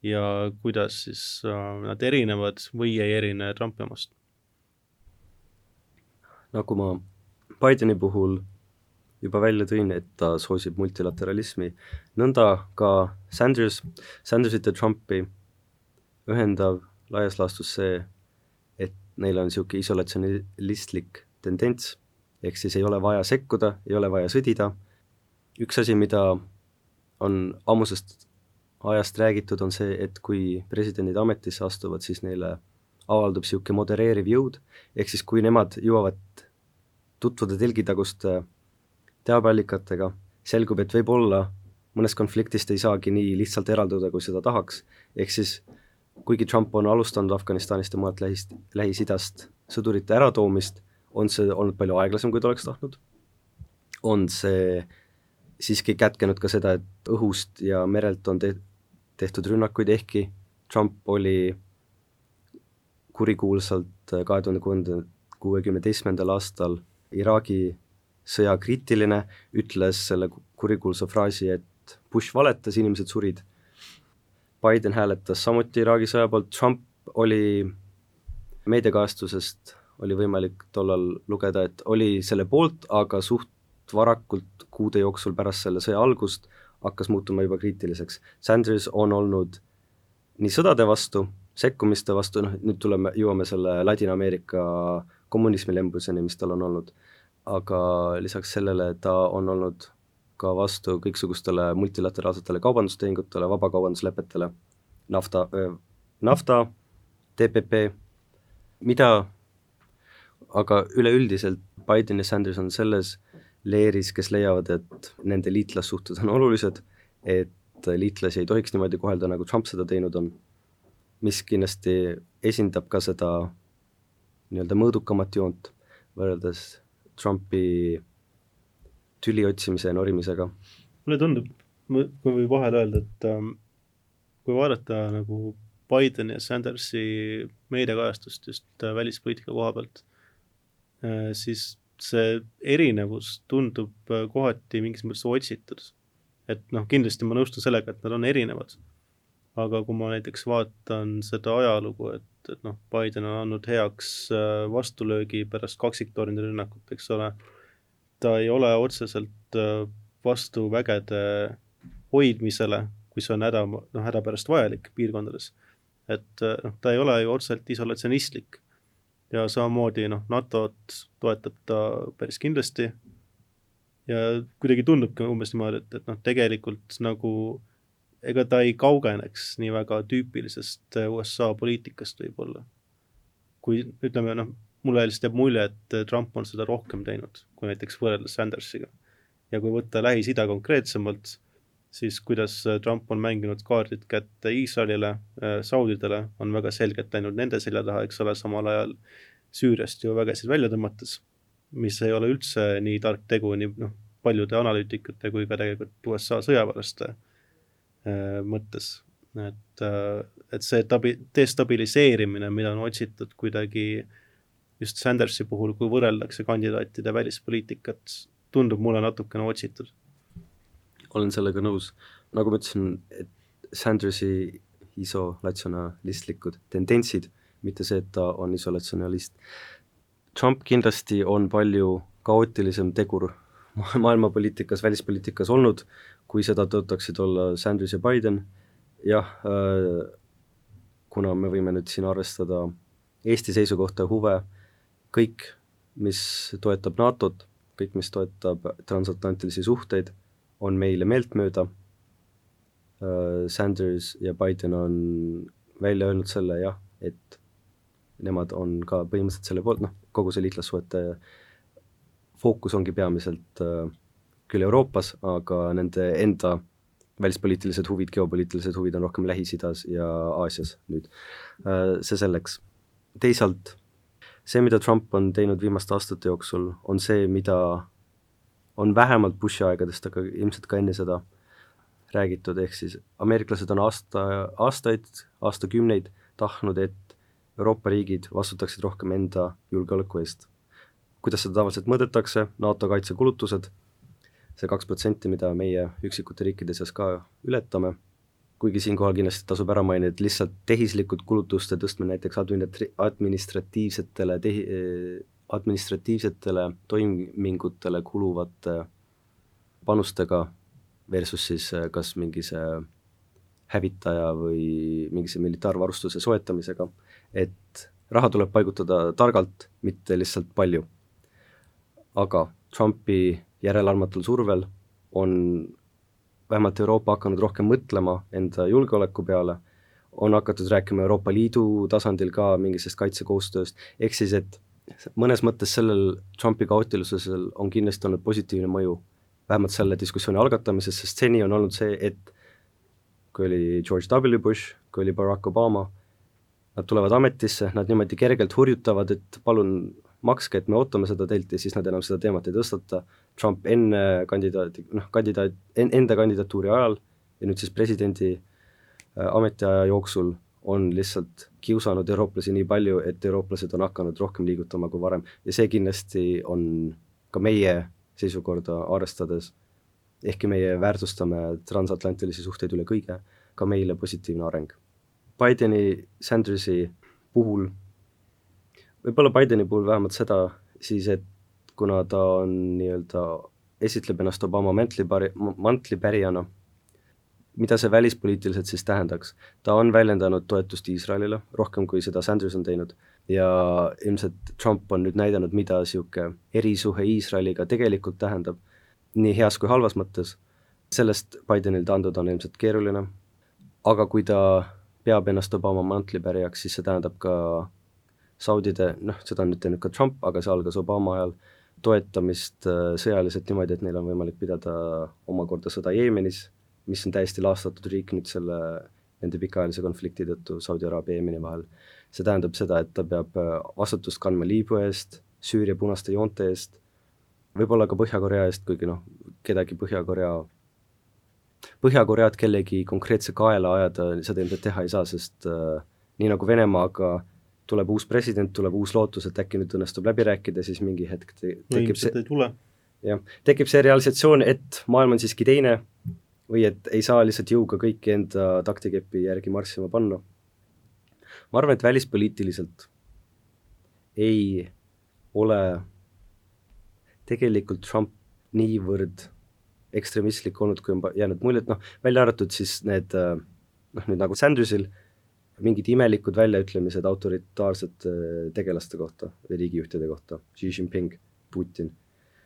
ja kuidas siis nad erinevad või ei erine Trumpi omast? Nagu ma Bideni puhul juba välja tõin, et ta soosib multilateralismi, nõnda ka Sandersit ja Trumpi ühendav laias laastus see, neil on niisugune isolatsionistlik tendents, ehk siis ei ole vaja sekkuda, ei ole vaja sõdida. Üks asi, mida on ammusest ajast räägitud, on see, et kui presidendid ametisse astuvad, siis neile avaldub niisugune modereeriv jõud, ehk siis kui nemad jõuavad tutvuda telgitaguste teabeallikatega, selgub, et võib-olla mõnest konfliktist ei saagi nii lihtsalt eralduda, kui seda tahaks, ehk siis kuigi Trump on alustanud Afganistanist ja muud Lähis-Idast sõdurite äratoomist, on see olnud palju aeglasem, kui ta oleks tahtnud. On see siiski kätkenud ka seda, et õhust ja merelt on tehtud rünnakuid, ehkki Trump oli kurikuulsalt 2016. aastal Iraagi sõja kriitiline, ütles selle kurikuulsa fraasi, et Bush valetas, inimesed surid. Biden hääletas samuti Iraagi sõja poolt, Trump oli meediakajastusest oli võimalik tollal lugeda, et oli selle poolt, aga suht varakult kuude jooksul pärast selle sõja algust hakkas muutuma juba kriitiliseks. Sanders on olnud nii sõdade vastu, sekkumiste vastu, nüüd jõuame selle Ladina-Ameerika kommunismi lembuseni, mis tal on olnud, aga lisaks sellele ta on olnud ka vastu kõiksugustele multilateraalsetele kaubandustehingutele, vabakaubanduslepetele, NAFTA, TPP, mida aga üleüldiselt Biden ja Sanders on selles leeris, kes leiavad, et nende liitlassuhted on olulised, et liitlasi ei tohiks niimoodi kohelda, nagu Trump seda teinud on, mis kindlasti esindab ka seda nii-öelda mõõdukamat joont võrreldes Trumpi tüli otsimise ja norimisega. Mulle tundub, kui võib vahel öelda, et kui vaadata nagu Bideni ja Sandersi meediakajastust just välispoliitika koha pealt, siis see erinevus tundub kohati mingis mõttes otsitud. Et noh, kindlasti ma nõustun sellega, et nad on erinevad. Aga kui ma näiteks vaatan seda ajalugu, et noh, Biden on andnud heaks vastulöögi pärast kaksiktornide rünnakut, eks ole, ta ei ole otseselt vastu vägede hoidmisele, kui see on hädapärast vajalik piirkondades. Et noh, ta ei ole ju otseselt isolatsionistlik ja samamoodi noh, NATO-t toetab ta päris kindlasti ja kuidagi tundubki umbes niimoodi, et noh, tegelikult nagu ega ta ei kaugeneks nii väga tüüpilisest USA poliitikast võib-olla. Kui ütleme, noh, mulle lihtsalt jääb mulje, et Trump on seda rohkem teinud, kui näiteks võrreldes Sandersiga. Ja kui võtta Lähis-Ida konkreetsemalt, siis kuidas Trump on mänginud kaardid kätte Iisraelile, Saudidele, on väga selgelt läinud nende selja taha, eks ole, samal ajal Süüriast ju vägesid välja tõmmates, mis ei ole üldse nii tark tegu nii noh, paljude analüütikute kui ka tegelikult USA sõjaväelaste mõttes. Et see destabiliseerimine, mida on otsitud kuidagi just Sandersi puhul, kui võrreldakse kandidaatide välispoliitikat, tundub mulle natukene otsitud. Olen sellega nõus. Nagu ma ütlesin, et Sandersi isolatsionalistlikud tendentsid, mitte see, et ta on isolatsionalist. Trump kindlasti on palju kaootilisem tegur maailmapoliitikas, välispoliitikas olnud, kui seda tõotaksid olla Sanders ja Biden. Jah, kuna me võime nüüd siin arvestada Eesti seisukohta huve, kõik, mis toetab NATO-t, kõik, mis toetab transatlantilisi suhteid, on meile meeltmööda. Sanders ja Biden on välja öelnud selle, jah, et nemad on ka põhimõtteliselt selle poolt, noh, kogu see liitlassuhete fookus ongi peamiselt küll Euroopas, aga nende enda välispoliitilised huvid, geopoliitilised huvid on rohkem Lähis-Idas ja Aasias nüüd. See selleks. Teisalt, see, mida Trump on teinud viimaste aastate jooksul, on see, mida on vähemalt Bushi aegadest, aga ilmselt ka enne seda räägitud, ehk siis ameeriklased on aastakümneid tahtnud, et Euroopa riigid vastutaksid rohkem enda julgeoleku eest. Kuidas seda tavaliselt mõõdetakse, NATO kaitsekulutused, see 2%, mida meie üksikute riikide seas ka ületame, kuigi siinkohal kindlasti tasub ära mainida, et lihtsalt tehislikud kulutuste tõstmine näiteks administratiivsetele toimingutele kuluvate panustega versus siis kas mingise hävitaja või mingise militaarvarustuse soetamisega, et raha tuleb paigutada targalt, mitte lihtsalt palju. Aga Trumpi järelearmatul survel on vähemalt Euroopa hakanud rohkem mõtlema enda julgeoleku peale, on hakatud rääkima Euroopa Liidu tasandil ka mingisest kaitsekoostööst, ehk siis, et mõnes mõttes sellel Trumpi kaootilisusel on kindlasti olnud positiivne mõju, vähemalt selle diskussiooni algatamises, sest seni on olnud see, et kui oli George W. Bush, kui oli Barack Obama, nad tulevad ametisse, nad niimoodi kergelt hurjutavad, et palun makske, et me ootame seda teilt ja siis nad enam seda teemat ei tõstata. Trump enda kandidatuuri ajal ja nüüd siis presidendi ametiaja jooksul on lihtsalt kiusanud eurooplasi nii palju, et eurooplased on hakanud rohkem liigutama kui varem ja see kindlasti on ka meie seisukorda arvestades, ehkki meie väärtustame transatlantilisi suhteid üle kõige, ka meile positiivne areng. Bideni, Sandersi puhul, võib-olla Bideni puhul vähemalt seda siis, et kuna ta on nii-öelda esitleb ennast Obama mantlipärijana, mida see välispoliitiliselt siis tähendaks? Ta on väljendanud toetust Iisraelile, rohkem kui seda Sanders on teinud ja ilmselt Trump on nüüd näidanud, mida siuke erisuhe Iisraeliga tegelikult tähendab, nii heas kui halvas mõttes. Sellest Bidenil taanduda on ilmselt keeruline, aga kui ta peab ennast Obama mantlipärijaks, siis see tähendab ka Saudide, seda on nüüd teinud ka Trump, aga see algas Obama ajal, toetamist sõjaliselt niimoodi, et neil on võimalik pidada omakorda sõda Jeemenis, mis on täiesti laastatud riik nüüd nende pikaajalise konflikti tõttu Saudi Araabia ja Jeemeni vahel. See tähendab seda, et ta peab vastutust kandma Liibüa eest, Süüria punaste joonte eest, võib-olla ka Põhja-Korea eest, kuigi kedagi Põhja-Koread kellegi konkreetse kaela ajada, seda ilmselt teha ei saa, sest nii nagu Venemaaga tuleb uus president, tuleb uus lootus, et äkki nüüd õnnestub läbi rääkida, siis mingi hetk tekib see realisatsioon, et maailm on siiski teine või et ei saa lihtsalt jõuga kõiki enda taktikepi järgi marssima panna. Ma arvan, et välispoliitiliselt ei ole tegelikult Trump niivõrd ekstremistlik olnud, kui on jäänud mulje, et välja arvatud siis need nüüd nagu Sandersil mingid imelikud väljaütlemised autoritaarsete tegelaste kohta või riigijuhtide kohta, Xi Jinping, Putin.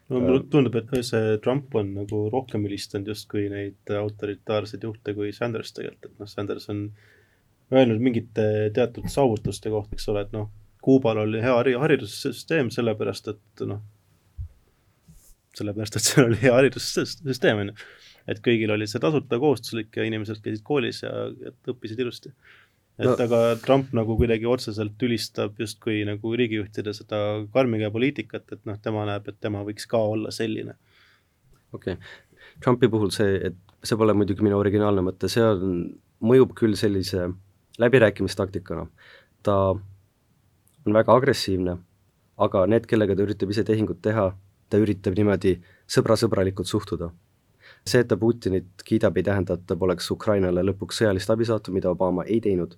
No mulle tundub, et see Trump on nagu rohkem ülistanud justkui neid autoritaarseid juhte kui Sanders tegelikult, et Sanders on öelnud mingite teatud saavutuste kohta, eks ole, et Kuubal oli hea haridussüsteem sellepärast, et seal oli hea haridussüsteem, et kõigil oli see tasuta kohustuslik ja inimesed käisid koolis ja õppisid ilusti. Aga Trump nagu kuidagi otseselt ülistab justkui nagu riigijuhtide seda karmiga poliitikat, et tema näeb, et tema võiks ka olla selline. Okei. Trumpi puhul see pole muidugi minu originaalne mõte, see mõjub küll sellise läbirääkimistaktikana. Ta on väga agressiivne, aga need, kellega ta üritab ise tehingut teha, ta üritab niimoodi sõbralikult suhtuda. See, et ta Putinit kiidab, ei tähenda, et ta poleks Ukrainale lõpuks sõjalist abi saatu, mida Obama ei teinud.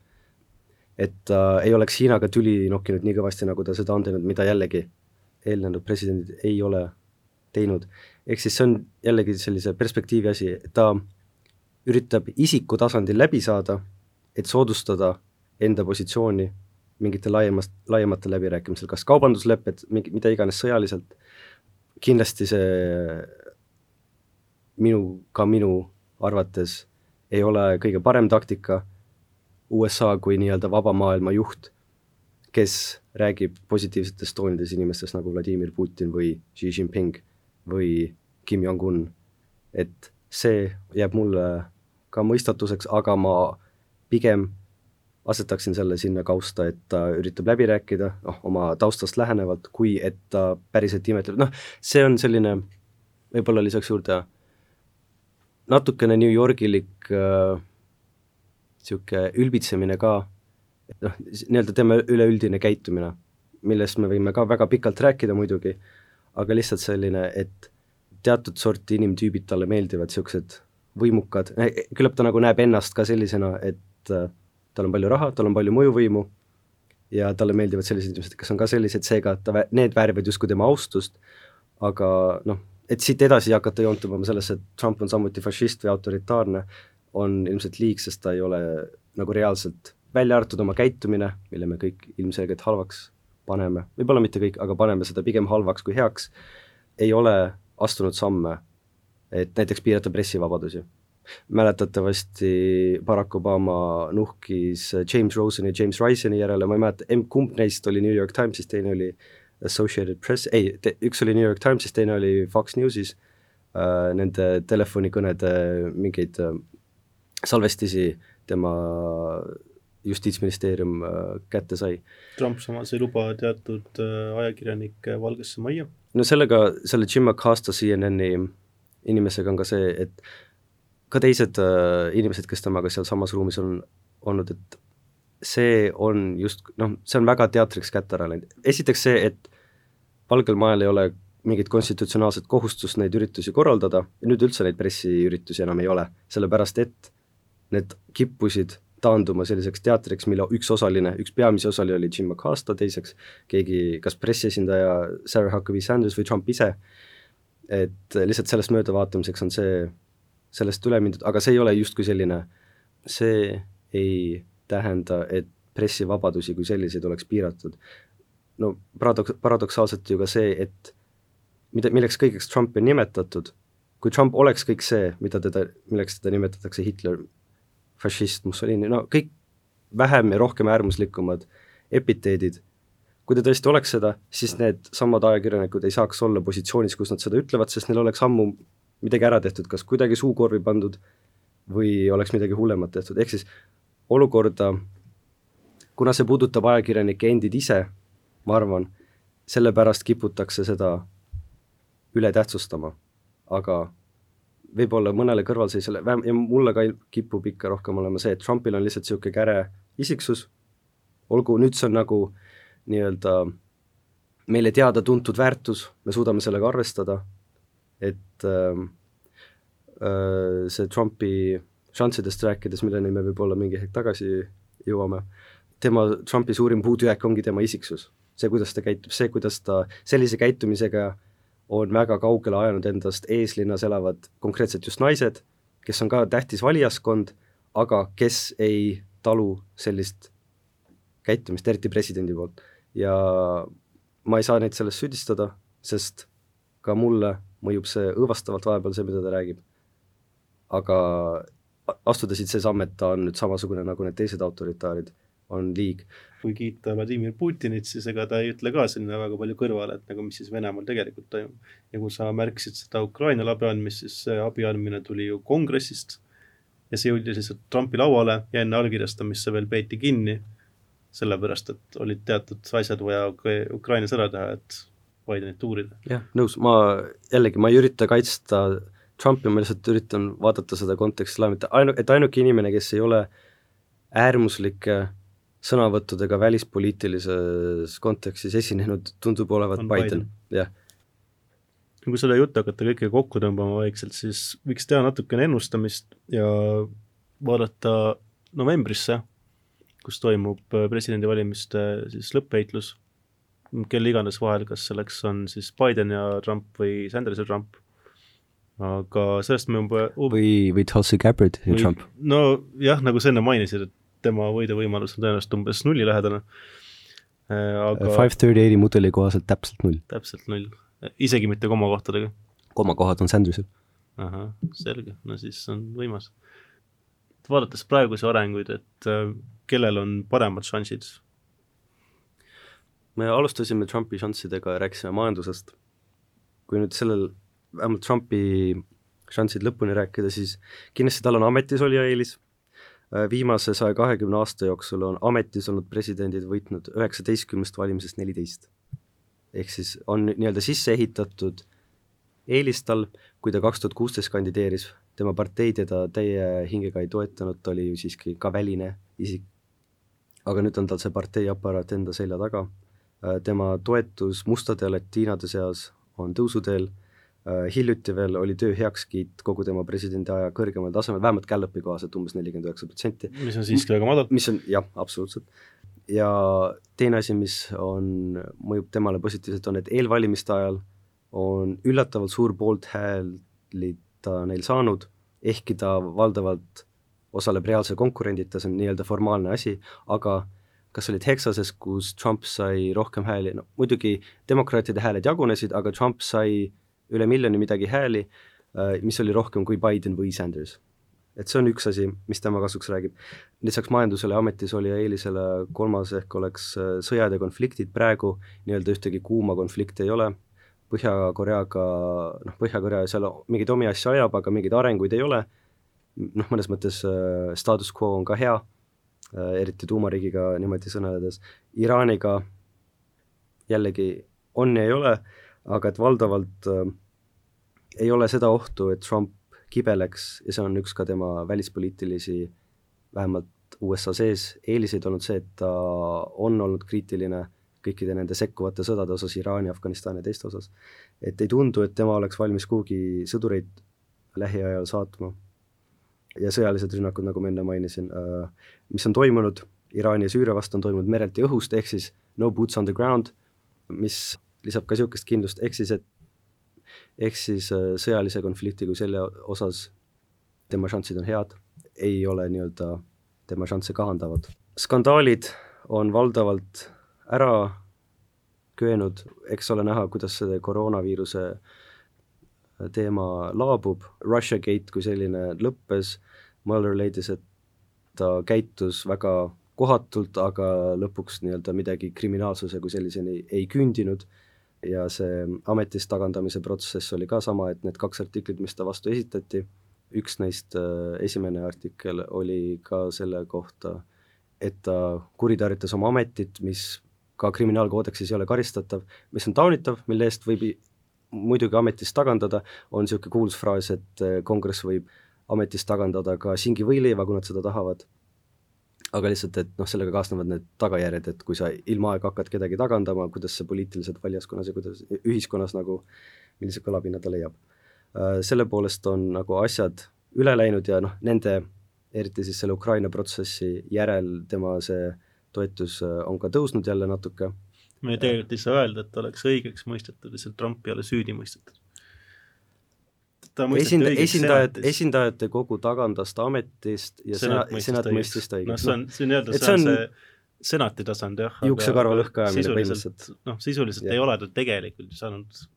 Et ta ei oleks Hiinaga tüli nokkinud nii kõvasti, nagu ta seda on teinud, mida jällegi eelnenud presidendid ei ole teinud. Ehk siis see on jällegi sellise perspektiivi asi, ta üritab isiku tasandil läbi saada, et soodustada enda positsiooni mingite laiemate läbirääkimisel, kas kaubanduslepped, mida iganes sõjaliselt. Kindlasti see minu arvates ei ole kõige parem taktika USA kui nii-öelda vaba maailma juht, kes räägib positiivsetes toonides inimestest nagu Vladimir Putin või Xi Jinping või Kim Jong-un. Et see jääb mulle ka mõistatuseks, aga ma pigem asetaksin selle sinna kausta, et ta üritab läbi rääkida oma taustast lähenevalt, kui et ta päriselt imetleb. See on selline, võib-olla lisaks juurde natukene New Yorgilik siuke ülbitsemine ka, nii-öelda tema üleüldine käitumine, millest me võime ka väga pikalt rääkida muidugi, aga lihtsalt selline, et teatud sorti inimtüübid talle meeldivad, siuksed võimukad, küllap ta nagu näeb ennast ka sellisena, et tal on palju raha, tal on palju mõjuvõimu ja talle meeldivad sellised inimesed, kes on ka sellised, seega need väärivad justkui tema austust, aga et siit edasi hakata joontuma sellesse, et Trump on samuti fašist või autoritaarne, on ilmselt liig, sest ta ei ole nagu reaalselt välja arvatud oma käitumine, mille me kõik ilmselgelt halvaks paneme, võib-olla mitte kõik, aga paneme seda pigem halvaks kui heaks, ei ole astunud samme, et näiteks piirata pressivabadusi. Mäletatavasti Barack Obama nuhkis James Roseni ja James Riseni järele, ma ei mäleta, kumb neist oli New York Timesis, teine oli Associated Press, üks oli New York Timesis, teine oli Fox Newsis, nende telefonikõnede mingeid salvestisi tema justiitsministeerium kätte sai. Trump samas ei luba teatud ajakirjanike Valgesse Majja. No selle Jim Acosta CNN-i inimesega on ka see, et ka teised inimesed, kes temaga seal samas ruumis on olnud, et see on just, see on väga teatriks kätte ära läinud. Esiteks see, et Valgel Majal ei ole mingit konstitutsionaalset kohustust neid üritusi korraldada, ja nüüd üldse neid pressiüritusi enam ei ole, sellepärast et need kippusid taanduma selliseks teatriks, mille üks peamisi osali oli Jim Acosta, teiseks keegi, kas pressiesindaja Sarah Huckabee Sanders või Trump ise, et lihtsalt sellest möödavaatamiseks on sellest üle mindud, aga see ei ole justkui selline, see ei tähenda, et pressivabadusi kui selliseid oleks piiratud. Paradoksaalselt ju ka see, et milleks kõigeks Trumpi on nimetatud, kui Trump oleks kõik see, milleks teda nimetatakse Hitler, fašist, Mussolini, kõik vähem ja rohkem äärmuslikumad epiteedid, kui ta tõesti oleks seda, siis need samad ajakirjanikud ei saaks olla positsioonis, kus nad seda ütlevad, sest neil oleks ammu midagi ära tehtud, kas kuidagi suukorvi pandud või oleks midagi hullemat tehtud, ehk siis olukorda, kuna see puudutab ajakirjanike endid ise, ma arvan, sellepärast kiputakse seda üle tähtsustama, aga võib-olla mõnele kõrvalseisjale, ja mulle ka kipub ikka rohkem olema see, et Trumpil on lihtsalt niisugune käre isiksus, olgu nüüd see on nagu nii-öelda meile teada-tuntud väärtus, me suudame sellega arvestada, et see Trumpi šanssidest rääkides, milleni me võib-olla mingi hetk tagasi jõuame, Trumpi suurim puudujääk ongi tema isiksus. See, kuidas ta käitub, see, kuidas ta sellise käitumisega on väga kaugele ajanud endast eeslinnas elavad konkreetselt just naised, kes on ka tähtis valijaskond, aga kes ei talu sellist käitumist, eriti presidendi poolt. Ja ma ei saa neid sellest süüdistada, sest ka mulle mõjub see õõvastavalt vahepeal see, mida ta räägib. Aga astuda siit see samm, et ta on nüüd samasugune nagu need teised autoritaarid, on liig. Kui kiita Vladimir Putinit, siis ega ta ei ütle ka sinna väga palju kõrvale, et nagu mis siis Venemaal tegelikult toimub. Ja kui sa märkisid seda Ukrainale abi andmist, siis see abi andmine tuli ju kongressist ja see jõudis lihtsalt Trumpi lauale ja enne allkirjastamisse veel peeti kinni, sellepärast, et olid teatud asjad vaja Ukrainas ära teha, et Bidenit uurida. Jah, nõus, ma ei ürita kaitsta Trumpi, ma lihtsalt üritan vaadata seda konteksti et ainuke inimene, kes ei ole äärmuslike sõnavõttudega välispoliitilises kontekstis esinenud, tundub olevat Biden. Jah. Kui selle juttu hakata kõike kokku tõmbama vaikselt, siis võiks teha natukene ennustamist ja vaadata novembrisse, kus toimub presidendivalimiste siis lõppheitlus, kelle iganes vahel, kas selleks on siis Biden ja Trump või Sanders ja Trump. Aga sellest me või Tulsi Gabbard ja Trump. No jah, nagu sa enne mainisid, et tema võiduvõimalus on tõenäoliselt umbes 0 lähedane. Aga 530 mudeli kohaselt täpselt 0. Täpselt 0. Isegi mitte komakohtadega. Komakohad on Sandersil. Aha, selge. No siis on võimas. Vaadates praeguse arenguid, et kellel on paremad šansid? Me alustasime Trumpi šanssidega ja rääkisime majandusest. Kui nüüd vähemalt Trumpi šansid lõpuni rääkida, siis kindlasti tal on ametis oli eelis. Viimase 120 aasta jooksul on ametis olnud presidendid võitnud 19 valimisest 14. Ehk siis on nii-öelda sisse ehitatud eelistal, kui ta 2016 kandideeris, tema partei teda täie hingega ei toetanud, ta oli ju siiski ka väline isik. Aga nüüd on tal see partei aparaat enda selja taga. Tema toetus mustade ja latiinade seas on tõusuteel. Hiljuti veel oli töö heakskiit kogu tema presidendi aja kõrgemal tasemel, vähemalt Gallupi kohaselt umbes 49%. Mis on siiski väga madal. Mis on, jah, absoluutselt. Ja teine asi, mis mõjub temale positiivselt, on, et eelvalimiste ajal on üllatavalt suur poolt hääli ta neil saanud, ehkki ta valdavalt osaleb reaalse konkurendita, see on nii-öelda formaalne asi, aga kas oli Texases, kus Trump sai rohkem hääli, no muidugi demokraatide hääled jagunesid, aga Trump sai üle miljoni midagi hääli, mis oli rohkem kui Biden või Sanders. Et see on üks asi, mis tema kasuks räägib. Lisaks majandusele ametis oli ja eelisele kolmas ehk oleks sõjad ja konfliktid, praegu nii-öelda ühtegi kuuma konflikti ei ole, Põhja-Korea seal mingeid omi asja ajab, aga mingeid arenguid ei ole, mõnes mõttes status quo on ka hea, eriti tuumariigiga niimoodi sõneledes. Iraaniga jällegi on ja ei ole, aga et valdavalt ei ole seda ohtu, et Trump kibeleks ja see on üks ka tema välispoliitilisi, vähemalt USA sees eeliseid olnud see, et ta on olnud kriitiline kõikide nende sekkuvate sõdade osas, Iraani, Afganistani ja teiste osas. Et ei tundu, et tema oleks valmis kuhugi sõdureid lähiajal saatma. Ja sõjalised rünnakud, nagu ma enne mainisin, mis on toimunud, Iraani ja Süüria vastu on toimunud merelt ja õhust, ehk siis no boots on the ground, mis lisab ka niisugust kindlust, ehk siis sõjalise konflikti kui selle osas tema šansid on head, ei ole nii-öelda tema šansse kahandavad. Skandaalid on valdavalt ära köönud, eks ole näha, kuidas see koroonaviiruse teema laabub, Russiagate kui selline lõppes, Mueller leidis, et ta käitus väga kohatult, aga lõpuks nii-öelda midagi kriminaalsuse kui selliseni ei küündinud ja see ametist tagandamise protsess oli ka sama, et need 2 artiklit, mis ta vastu esitati, üks neist esimene artikkel oli ka selle kohta, et ta kuritarvitas oma ametit, mis ka kriminaalkoodeksis ei ole karistatav, mis on taunitav, mille eest võib muidugi ametist tagandada, on niisugune kuulus fraas, et kongress võib ametist tagandada ka singi võileiva, kui nad seda tahavad, aga lihtsalt, et sellega kaasnevad need tagajärjed, et kui sa ilma aega hakkad kedagi tagandama, kuidas see poliitiliselt valjaskonnas ja kuidas ühiskonnas nagu, millise kõlapinna ta leiab. Selle poolest on nagu asjad üle läinud ja nende, eriti siis selle Ukraina protsessi järel tema see toetus on ka tõusnud jälle natuke. Me tegelikult ei saa öelda, et oleks õigeks mõistetud, lihtsalt Trump ei ole süüdi mõistetud. Esindajate kogu tagandas ta ametist ja senat mõistis ta õigeks. See on senati tasand, jah. Juuksekarva lõhkajamine põhimõtteliselt. Sisuliselt ei ole ta tegelikult saanud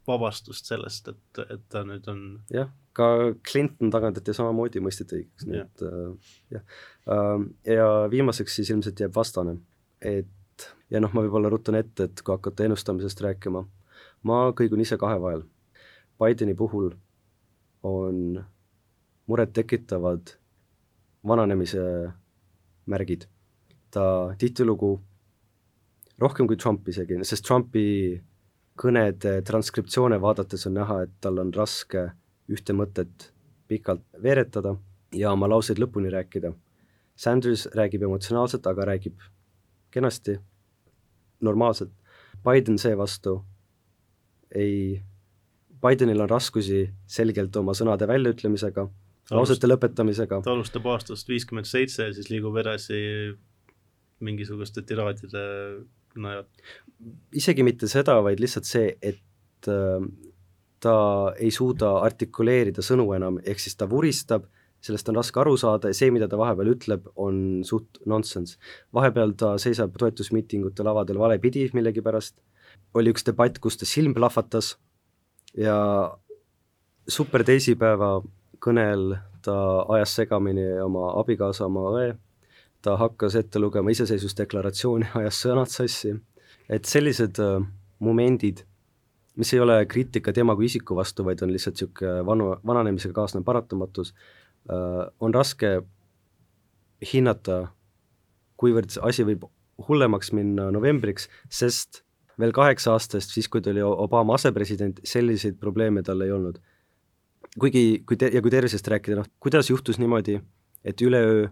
vabastust sellest, et ta nüüd on... Jah, ka Clinton tagandati samamoodi mõisteti õigeks. Nii et, ja viimaseks siis ilmselt jääb vastane. Ja ma võib-olla rutan ette, et kui hakata ennustamisest rääkima, ma kõigun ise kahe vahel. Bideni puhul on muret tekitavad vananemise märgid. Ta tihtilugu rohkem kui Trump isegi, sest Trumpi kõnede transkriptsioone vaadates on näha, et tal on raske ühte mõtet pikalt veeretada ja oma lauseid lõpuni rääkida. Sanders räägib emotsionaalselt, aga räägib kenasti, normaalselt. Biden seevastu Bidenil on raskusi selgelt oma sõnade väljaütlemisega, lausete lõpetamisega. Ta alustab aastast 57 ja siis liigub edasi mingisuguste tiraadide najad. Isegi mitte seda, vaid lihtsalt see, et ta ei suuda artikuleerida sõnu enam, ehk siis ta vuristab, sellest on raske aru saada ja see, mida ta vahepeal ütleb, on suht nonsense. Vahepeal ta seisab toetusmiitingute lavadel valepidi millegi pärast. Oli üks debatt, kus ta silm plahvatas ja super teisipäeva kõnel ta ajas segamini oma abikaasa, oma õe. Ta hakkas ette lugema iseseisvusdeklaratsiooni, ajas sõnad sassi. Et sellised momendid, mis ei ole kriitika tema kui isiku vastu, vaid on lihtsalt siuke vananemisega kaasnev paratamatus, on raske hinnata, kuivõrd asi võib hullemaks minna novembriks, sest veel 8 aastast, siis kui ta oli Obama asepresident, selliseid probleeme tal ei olnud. Kui tervisest rääkida, kuidas juhtus niimoodi, et üleöö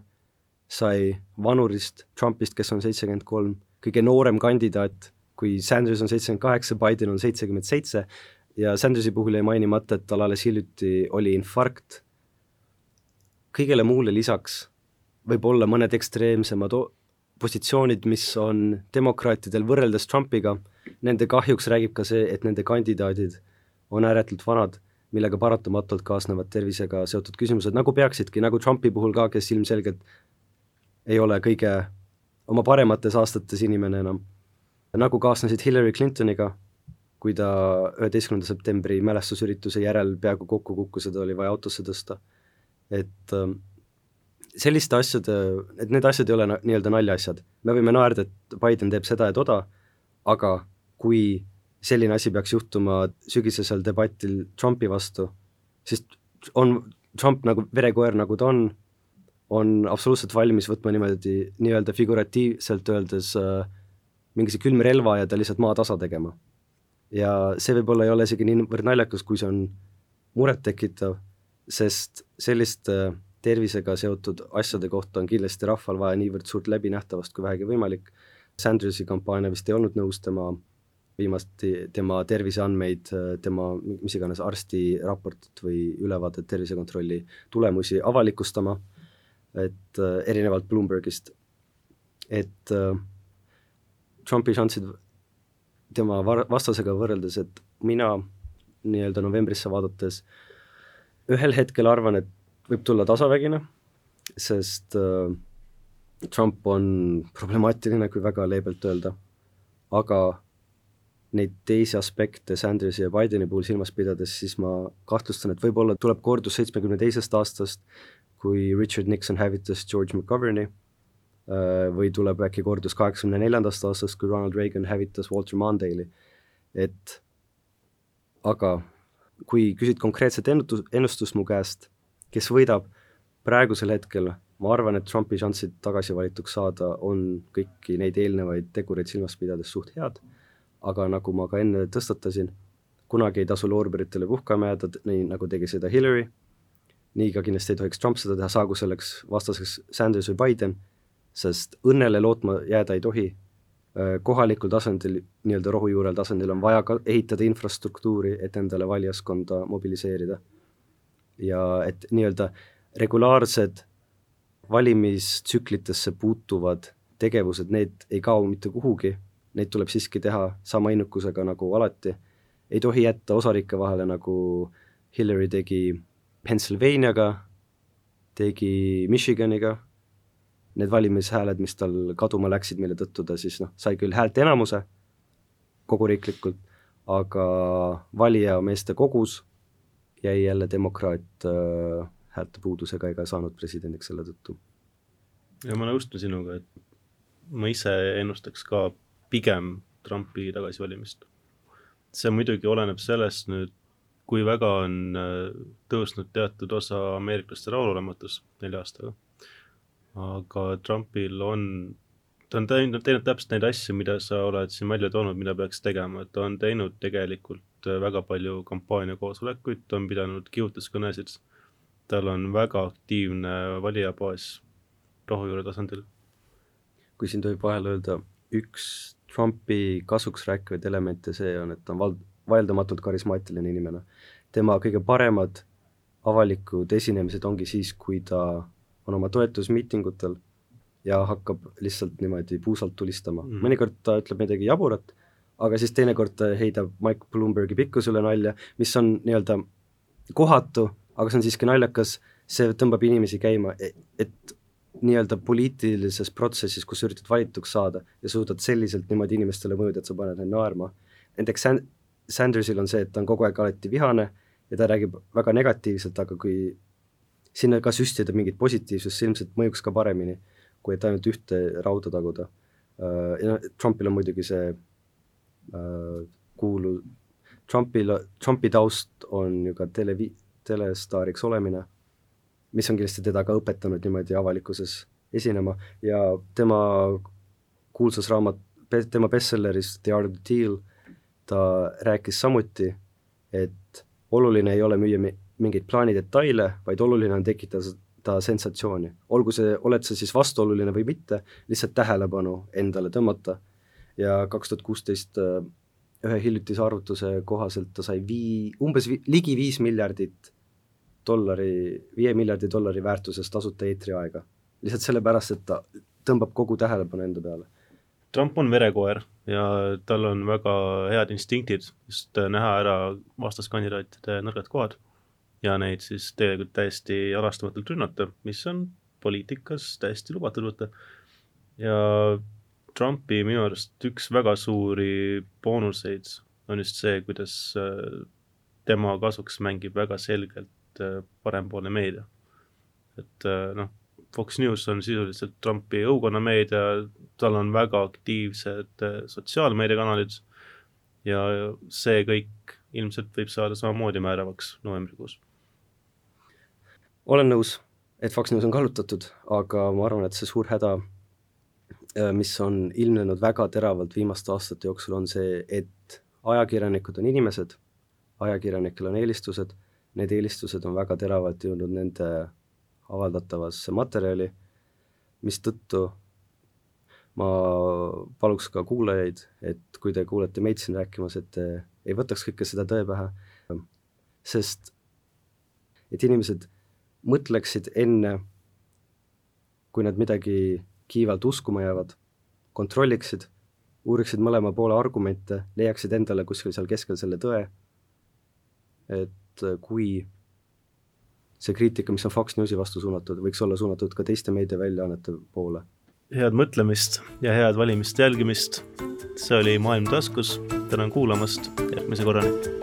sai vanurist Trumpist, kes on 73, kõige noorem kandidaat, kui Sanders on 78, Biden on 77 ja Sandersi puhul ei mainimata, et tal alles hiljuti oli infarkt. Kõigele muule lisaks võib olla mõned ekstreemsemad positsioonid, mis on demokraatidel võrreldes Trumpiga. Nende kahjuks räägib ka see, et nende kandidaadid on ääretult vanad, millega paratamatult kaasnevad tervisega seotud küsimused, nagu peaksidki, nagu Trumpi puhul ka, kes ilmselgelt ei ole kõige oma paremates aastates inimene enam. Nagu kaasnesid Hillary Clintoniga, kui ta 11. septembri mälestusürituse järel peaaegu kokku kukkus, seda oli vaja autosse tõsta. Et selliste asjade, et need asjad ei ole nii-öelda naljaasjad. Me võime naerda, et Biden teeb seda ja toda, aga kui selline asi peaks juhtuma sügisesel debatil Trumpi vastu, siis on Trump nagu verekoer, nagu ta on absoluutselt valmis võtma niimoodi nii-öelda figuratiivselt öeldes mingise külmrelva ja ta lihtsalt maa tasa tegema. Ja see võib-olla ei ole isegi nii naljakas, kui see on muret tekitav, sest selliste tervisega seotud asjade kohta on kindlasti rahval vaja niivõrd suurt läbinähtavast kui vähegi võimalik. Sandersi kampaania vist ei olnud nõus tema terviseandmeid, tema mis iganes arsti raportit või ülevaadet tervisekontrolli tulemusi avalikustama, et erinevalt Bloombergist, et Trumpi šansid tema vastasega võrreldes, et mina nii-öelda novembrisse vaadates ühel hetkel arvan, et võib tulla tasavägine, sest Trump on problemaatiline, kui väga leebelt öelda, aga neid teisi aspekte Sandersi ja Bideni puhul silmas pidades, siis ma kahtlustan, et võib-olla tuleb kordus 72. aastast, kui Richard Nixon hävitas George McGovern'i, või tuleb äkki kordus 84. aastast, kui Ronald Reagan hävitas Walter Mondale'i. Et aga kui küsid konkreetset ennustust mu käest, kes võidab praegusel hetkel, ma arvan, et Trumpi šansid tagasi valituks saada on kõiki neid eelnevaid tegureid silmas pidades suht head, aga nagu ma ka enne tõstatasin, kunagi ei tasu loorberitele puhkama jääda, nii nagu tegi seda Hillary, nii ka kindlasti ei tohiks Trump seda teha, saagu selleks vastaseks Sanders või Biden, sest õnnele lootma jääda ei tohi. Kohalikul tasandil, nii-öelda rohujuurel tasandil on vaja ka ehitada infrastruktuuri, et endale valijaskonda mobiliseerida. Ja et nii-öelda regulaarsed valimistsüklitesse puutuvad tegevused, need ei kao mitte kuhugi, neid tuleb siiski teha sama innukusega nagu alati. Ei tohi jätta osariike vahele, nagu Hillary tegi Pennsylvaniaga, tegi Michiganiga, need valimishääled, mis tal kaduma läksid, mille tõttu ta siis sai küll häälte enamuse kogu riiklikult, aga valija meeste kogus jäi jälle demokraat häälte puudusega ega saanud presidendiks selle tõttu. Ja ma nõustun sinuga, et ma ise ennustaks ka pigem Trumpi tagasivalimist. See muidugi oleneb sellest nüüd, kui väga on tõusnud teatud osa ameeriklaste rahulolematus 4 aastaga. Aga Trumpil ta on teinud täpselt neid asju, mida sa oled siin välja toonud, mida peaks tegema. Ta on teinud tegelikult väga palju kampaania koosolekuid, ta on pidanud kihutuskõnesid. Tal on väga aktiivne valijabaas rohujuure tasandil. Kui siin tohib vahel öelda, üks Trumpi kasuks rääkivaid elemente see on, et ta on vaieldamatult karismaatiline inimene. Tema kõige paremad avalikud esinemised ongi siis, kui ta on oma toetusmiitingutel ja hakkab lihtsalt niimoodi puusalt tulistama. Mõnikord ta ütleb midagi jaburat, aga siis teinekord ta heidab Mike Bloombergi pikkusele nalja, mis on nii-öelda kohatu, aga see on siiski naljakas, see tõmbab inimesi käima, et nii-öelda poliitilises protsessis, kus üritad valituks saada ja suudad selliselt niimoodi inimestele mõjuda, et sa paned neid naerma. Näiteks Sandersil on see, et ta on kogu aeg alati vihane ja ta räägib väga negatiivselt, aga kui sinna ka süstida mingit positiivsust, see ilmselt mõjuks ka paremini, kui et ainult ühte rauda taguda. Trumpil on muidugi see Trumpi taust on ju ka telestaariks olemine, mis on kindlasti teda ka õpetanud niimoodi avalikkuses esinema ja tema kuulsas raamat, tema bestselleris The Art of the Deal, ta rääkis samuti, et oluline ei ole müüa mingeid plaanidetaile, vaid oluline on tekitada sensatsiooni. Olgu see, oled sa siis vastuoluline või mitte, lihtsalt tähelepanu endale tõmmata. Ja 2016 ühe hiljutise arvutuse kohaselt ta sai umbes ligi 5 miljardi dollari väärtuses tasuta eetriaega. Lihtsalt sellepärast, et ta tõmbab kogu tähelepanu enda peale. Trump on verekoer ja tal on väga head instinktid just näha ära vastaskandidaatide nõrgad kohad ja neid siis tegelikult täiesti alastamatult rünnata, mis on poliitikas täiesti lubatud võtta. Ja Trumpi minu arust üks väga suuri boonuseid on just see, kuidas tema kasuks mängib väga selgelt parempoolne meedia. Et Fox News on sisuliselt Trumpi õukonnameedia, tal on väga aktiivsed sotsiaalmeediakanalid ja see kõik ilmselt võib saada samamoodi määravaks novembrikuus. Olen nõus, et Fox News on kallutatud, aga ma arvan, et see suur häda, mis on ilmnenud väga teravalt viimaste aastate jooksul, on see, et ajakirjanikud on inimesed, ajakirjanikel on eelistused, need eelistused on väga teravalt jõudnud nende avaldatavasse materjali, mis tõttu ma paluks ka kuulajaid, et kui te kuulete meid siin rääkimas, et te ei võtaks kõike seda tõe pähe, sest et inimesed mõtleksid enne, kui nad midagi kiivalt uskuma jäävad, kontrolliksid, uuriksid mõlema poole argumente, leiaksid endale kuskil seal keskel selle tõe, et kui see kriitika, mis on Fox Newsi vastu suunatud, võiks olla suunatud ka teiste meediaväljaannete poole. Head mõtlemist ja head valimist jälgimist. See oli Maailm taskus. Tänan kuulamast. Järgmise korrani.